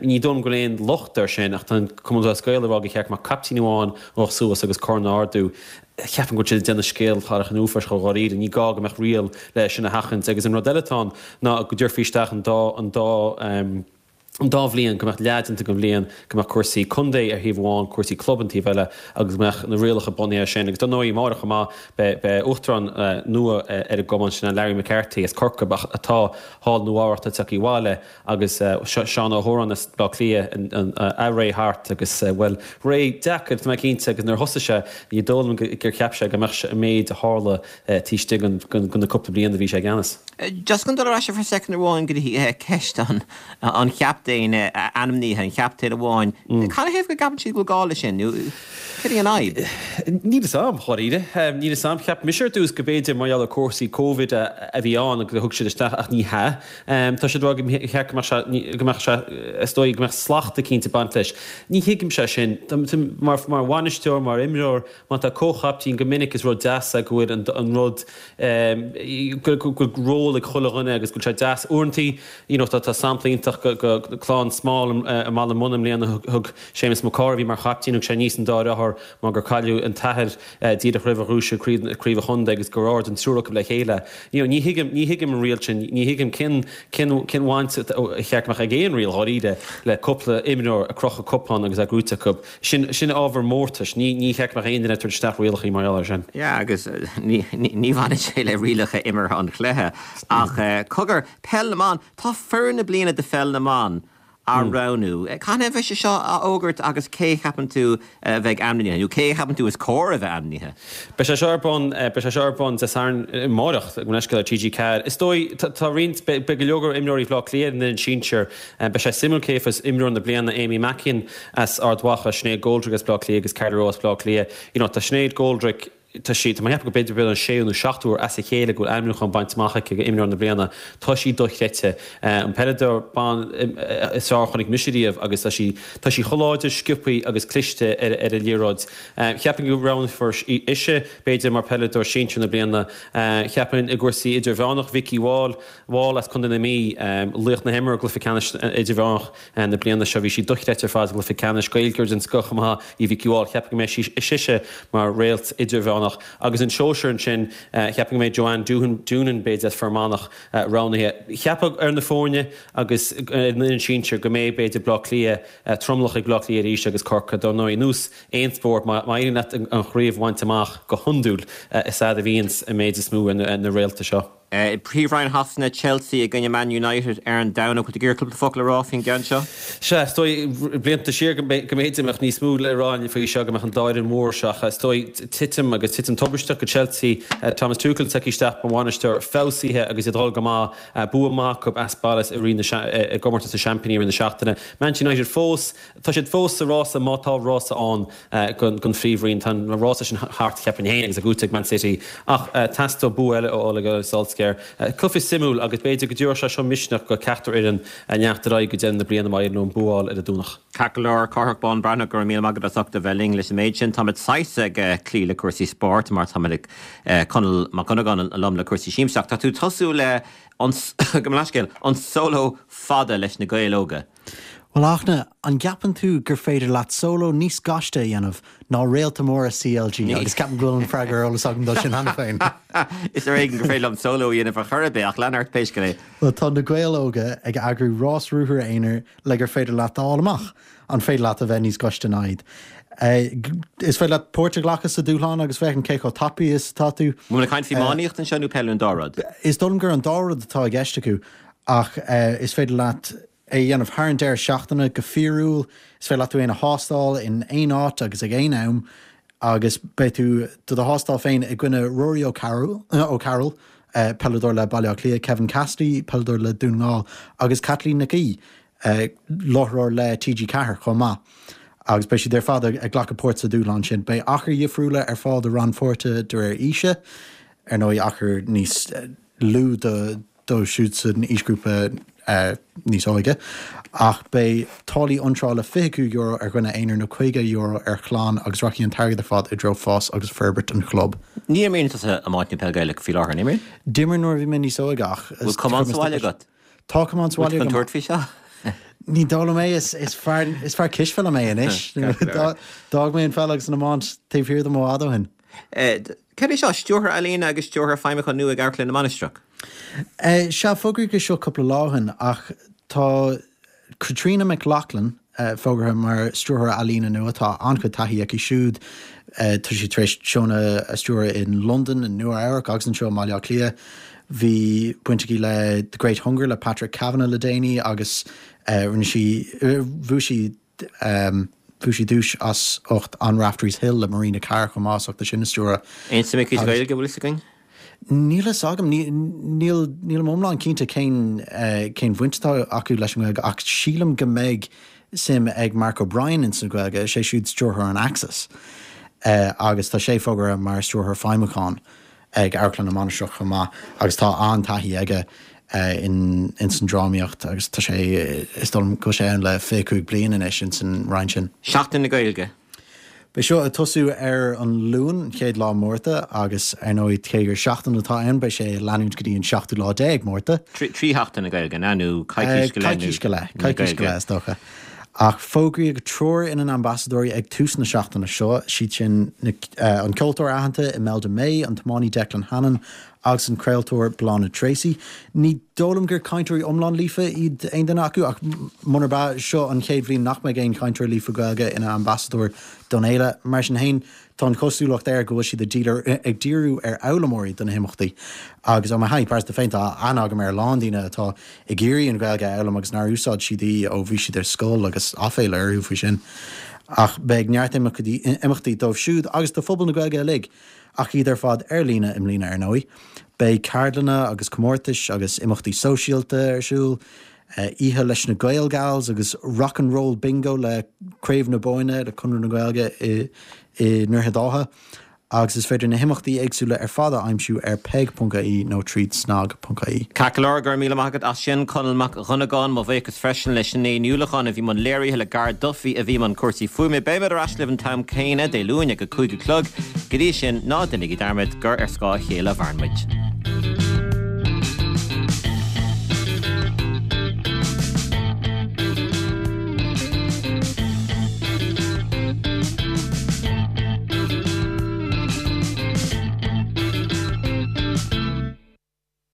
Ní dóigh liom go bhfuil aon locht air sin ach tá an Cumann Lúthchleas Gael ag rá gur cheart go mbeadh caiptín amháin a ghabhfadh suas agus corn a ardú. Ceapaim go bhfuil siad ag déanamh scéal thar an uafáis chomh dháiríre. Ní gá go mbeadh riail le sin a sheachaint agus an rud eile atá ann ná go dtabharfaí isteach an dá an dá an dá bhliain, go mbeadh leath déanta den bhliain, go mbeadh cúrsaí contae ar thaobh amháin, cúrsaí club an taobh eile agus go mbeadh na rialacha bunaithe air sin. Agus dar ndóigh, amárach chomh maith, beidh beidh uachtarán nua ar an gcumann, sin é Larry McCarthy as Corcaigh atá thall i Nua Eabhrac, tá tagtha abhaile agus Seán Ó hÓráin as Baile Átha Cliath, a ré thart agus, bhuel, ré deacair, tá mé cinnte, agus nuair a thosaigh sé, ní dóigh liom gur cheap sé go mbeadh an méid a tharla taobh istigh de na cúpla bliain a bhí sé i gceannas. Just chun dul ar ais for second amháin go dtí ceist an an chaptaen ainmnithe, an chaptaen amháin. Canathaobh go gceapann siad go bhfuil gá leis sin nó cad é an fhadhb? Níl fhios a'm, dháiríre. Níl fhios a'm. Cheap mise ar dtús go b'fhéidir mar gheall ar cúrsaí Covid a bhí ann agus a thug siad isteach ach ní hea. Tá siad ag rá go cheart go mbeadh sé, go mbeadh sé, is dóigh go mbeadh slacht eicínt ag baint leis. Ní thuigimse sin. Mar mar bhainisteoir, mar imreoir, má tá comhchaptaen go minic is rud deas é go bhfuil an an rud go bhfuil ról ag chuile dhuine agus go bhfuil sé deas. Uaireantaí you know tá tá sampla iontach go go Clann Small i mBaile Munna i mbliana thug Séamus Mac Cárthaigh a bhí mar chaiptín thug sé aníos an dá dheartháir mar gur cailleadh an t-athair díreach roimh a ghnóthaigh siad craobh an chontae agus gur ard an triúr acu le chéile. You know ní thuigim ní thuigim an riail sin ní thuigim cén cén cén bhaint a cheart go mbeadh ag aon riail dháiríre le cúpla imreoir ag crochadh cupán agus é gnóite acu. Sin sin ábhar mórtais. Ní ní cheart go mbeadh aon duine ag tabhairt isteach rialacha mar gheall air sin. Yeah agus ní ní bhaineann sé le rialacha imeartha an chluiche ach cogar, Peil na mBan, tá foireann na bliana de Pheil na mBan á roghnú. Cathain a bheidh sé seo á fhógairt agus cé a cheapann tú a bheidh ainmnithe nó cé a cheapann tú is cóir a bheith ainmnithe? Beidh sé seo ar bun, beidh sé seo ar bun Dé Sathairn amárach, gabh mo leithscéal, ar T G ceathair. Is dóigh, tá roinnt, beidh go leor imreoirí Bhaile Átha Cliath ar an bhfoireann sinsir. Beidh sé suimiúil cé a bheas imreoir na bliana, Amy Mackin as Ard Mhacha, Sinéad Goldrick as Baile Átha Cliath agus Carla Rowe as Baile Átha Cliath. You know, tá Sinéad Goldrick, tá sí, tá mé ag ceapadh go b'fhéidir b'fhéidir an séú nó seachtú huair as a chéile go bhfuil ainmniúchán bainte amach aici do imreoir na bliana. Tá sí dochreidte. An peileadóir ban is fearr a chonaic mise riamh agus tá sí, tá sí chomh láidir, sciobtha agus cliste ar ar an liathróid. Cheapfainn go roghnófar ise, b'fhéidir, mar peileadóir sinsir na bliana. Cheapfainn i gcúrsaí idirmheánach, Vikki Wall, Wall as Contae na Mí, laoch na himeartha i gcluiche ceannais idirmheánach na bliana seo. Bhí sí dochreidte ar fad sa gcluiche ceannais. Gaeilgeoir den scoth chomh maith í Vikki Wall. Cheapfainn go mbeidh sí, sise mar réalt idirmheánach. Agus an sóisear ansin, cheapfainn go mbeidh Joanne Doonan, b'fhéidir, as Fear Manach roghnaithe. Cheapfá ar na foirne agus ar an bhfoireann sinsir go mbeidh, b'fhéidir, Baile Átha Cliath, tromlach ag Baile Átha Cliath arís agus Corcaigh. Dar ndóigh, ar nós aon spórt, má éiríonn leat an chraobh a bhaint amach go hiondúil, is ea a bhíonns an méid is mó ar na réalta seo. I bPríomhroinn Shasana, Chelsea i gcoinne Man United ar an Domhnach. Bhfuil tú ag iarraidh cúpla focal a rá faoin gceann seo? Sea, is dóigh, blianta siar go mb'fhéidir go mbeadh níos mó le rá faoi seo, go mbeadh an dá fhoireann mhór seo, ach is dóigh, titim agus titim tubaisteach go Chelsea, Thomas Tuchel tagtha isteach mar bhainisteoir feabhsaithe agus iad ag dul go maith, bua maith acu as baile i rith na, i gcomórtas na Seaimpíní i rith na seachtaine. Manchester United fós, tá siad fós sa rása má tá rása ann don Phríomhroinn. Tá an rása sin thart, cheapfainn féin, agus é gnóthaithe ag Man City ach teastóidh bua eile ó Ole Gunnar Solskjaer. Cluiche suimiúil agus b'fhéidir go dtabharfadh sé seo misneach do cheachtar fhoireann leanacht ar aghaidh go deireadh na bliana má éiríonn leo an bua a fháil ar an Domhnach. Ceart go leor, Cárthach Bán Breathnach, go raibh míle maith agat as ucht a bheith linn leis an méid sin. Táimid saghas ag cloí le cúrsaí spóirt mar táimid ag Conall Mac Dhonnagáin liom le cúrsaí siamsaíochta. Tá tú ag tosú le an, gabh mo leithscéal, an sóló fada leis na Gaeil Óga. Bhuel, a Fhachtna, an gceapann tú gur féidir leat sóló níos gaiste a dhéanamh ná réalta móra CLG? Agus ceapaim go bhfuil an freagra ar eolas agam dó sin cheana féin. Is ar éigean gur féidir liom sóló a dhéanamh ar chor ar bith, ach lean ort pé scéal é. Bhuel, tá na Gaeil Óga ag eagrú rás ruathair aonair le gur féidir leat a fháil amach an féidir leat a bheith níos gaiste ná iad. Is féidir leat páirt a ghlacadh sa dúshlán agus féachaint cé chomh tapaidh is atá tú. An bhfuil ag caint faoi iománaíocht anseo nó peil nó an dá rud? Is dóigh liom gur an dá rud atá i gceist acu ach is féidir leat é a dhéanamh thar an deireadh seachtaine go fíorúil, is féidir leat tú féin a thástáil in aon áit agus ag aon am agus beidh tú do do thástáil féin i gcoinne Rory O'Carroll, peileadóir le Baile Átha Cliath, Kevin Cassidy, peileadóir le Dún na nGall, agus Caitlín Nic Aoidh, láithreoir le TG Ceathair chomh maith. Agus beidh siad ar fad ag glacadh páirt sa dúshlán sin. Beidh achair dhifriúla ar fáil do rannpháirtithe de réir aoise, ar ndóigh achar níos lú do dóibh siúd san aoisghrúpa níos óige, ach beidh táillí iontrála fiche cúig euro ar dhuine aonair nó caoga euro ar chlann agus rachaidh an t-airgead ar fad i dtreo fás agus forbairt an chlub. Ní imríonn tusa iomáint nó peil Gaelach faoi láthair, an imríonn? D'imir nuair a bhí mé níos óige ach. Bhfuil camán sa bhaile agat? Tá camán sa bhaile agam. Bhfuil tú chun tabhairt faoi seo? Ní dóigh liom é, is fear cispheile mé anois. D'fhág mé an pheil agus an iomáint taobh thiar dom i bhfad ó shin. Cad é seo, Stiúrthóir Ealaíne agus Stiúrthóir Feidhmiúcháin nua ag Amharclann na Mainistreach? Sea, fógraíodh é seo cúpla lá ó shin ach tá Caitríona McLaughlin fógartha mar Stiúrthóir Ealaíne nua. Tá an-chuid taithí aici siúd. Tá sí tar éis seónna a stiúradh in Londain, i Nua-Eabhrac agus anseo i mBaile Átha Cliath. Bhí baint aici le The Great Hunger le Patrick Kavanagh le déanaí agus rinne sí, bhuaigh sí, Bhuaigh sí duais as ucht On Raftery's Hill le Marina Carr chomh maith as ucht é sin a stiúradh. Aon suim aici sa Ghaeilge, bhfuil fhios againn? Níl fhios agam. Níl, nílim iomlán cinnte cén, cén bhaint atá acu leis an nGaeilge ach sílim go mbeidh suim ag Mark O'Brien ins an Ghaeilge, is é siúd stiúrthóir an Axis agus tá sé fógartha mar stiúrthóir feidhmiúcháin. ag Amharclann na Mainistreach chomh maith agus tá an-taithí aige in ins an drámaíocht agus tá sé, is dóigh liom go bhfuil sé ann le fiche cúig bliain anois ins an roinn sin. Seachtain na Gaeilge. Beidh seo ag tosú ar an Luan, an chéad lá Márta agus ar ndóigh cé gur seachtain atá ann beidh sé ag leanúint go dtí an seachtú lá déag Márta. Trí sheachtain na Gaeilge, an ea, nó coicís go leith? Coicís go leith, coicís go leith is dócha. Ach fógraíodh triúr ina n-ambasadóirí ag tús na seachtaine seo, siad sin an ceoltóir aitheanta Imelda May, an tiománaí Declan Hannon agus an craoltóir Bláthnaid Treacy. Ní dóigh liom gur cainteoirí iomlán líofa iad aon duine acu ach munarb ea, seo an chéad bhliain nach mbeidh aon chainteoir líofa Gaeilge ina ambasadóir don fhéile. Mar sin féin, Tá an chosúlacht air go bhfuil siad ag díriú ar fhoghlaimeoirí do na himeachtaí agus ó mo thaithí pearsanta féin tá aithne agam ar a lán daoine atá ag iarraidh an Ghaeilge a fhoghlaim agus nár úsáid siad í ó bhí siad ar scoil agus aiféala orthu faoi sin. Ach beidh neart imeachtaí dóibh siúd agus do phobal na Gaeilge uilig, ach iad ar fad ar líne i mbliana ar ndóigh. Beidh ceardlanna agus comórtais agus imeachtaí sóisialta ar siúl. Oíche leis na Gael Gals agus Rock and Roll Bingo le Craobh na Bóinne le Conradh na Gaeilge i nDroichead Átha agus is féidir na himeachtaí éagsúla ar fad a aimsiú ar peig.ie nó tríd snag.ie. Ceart go leor, go raibh míle maith agat as sin, Conall Mac Dhonnagáin. Mo bhuíochas freisin le Sinéad Ní Uallacháin a bhí i mbun léirithe, le Gar Duffy a bhí i mbun cúrsaí fuaime. Beimid ar ais libh an t-am céanna Dé Luain ag a cúig a chlog. Go dtí sin, ná déanaigí dearmad gur ar scáth a chéile a mhaireann muid.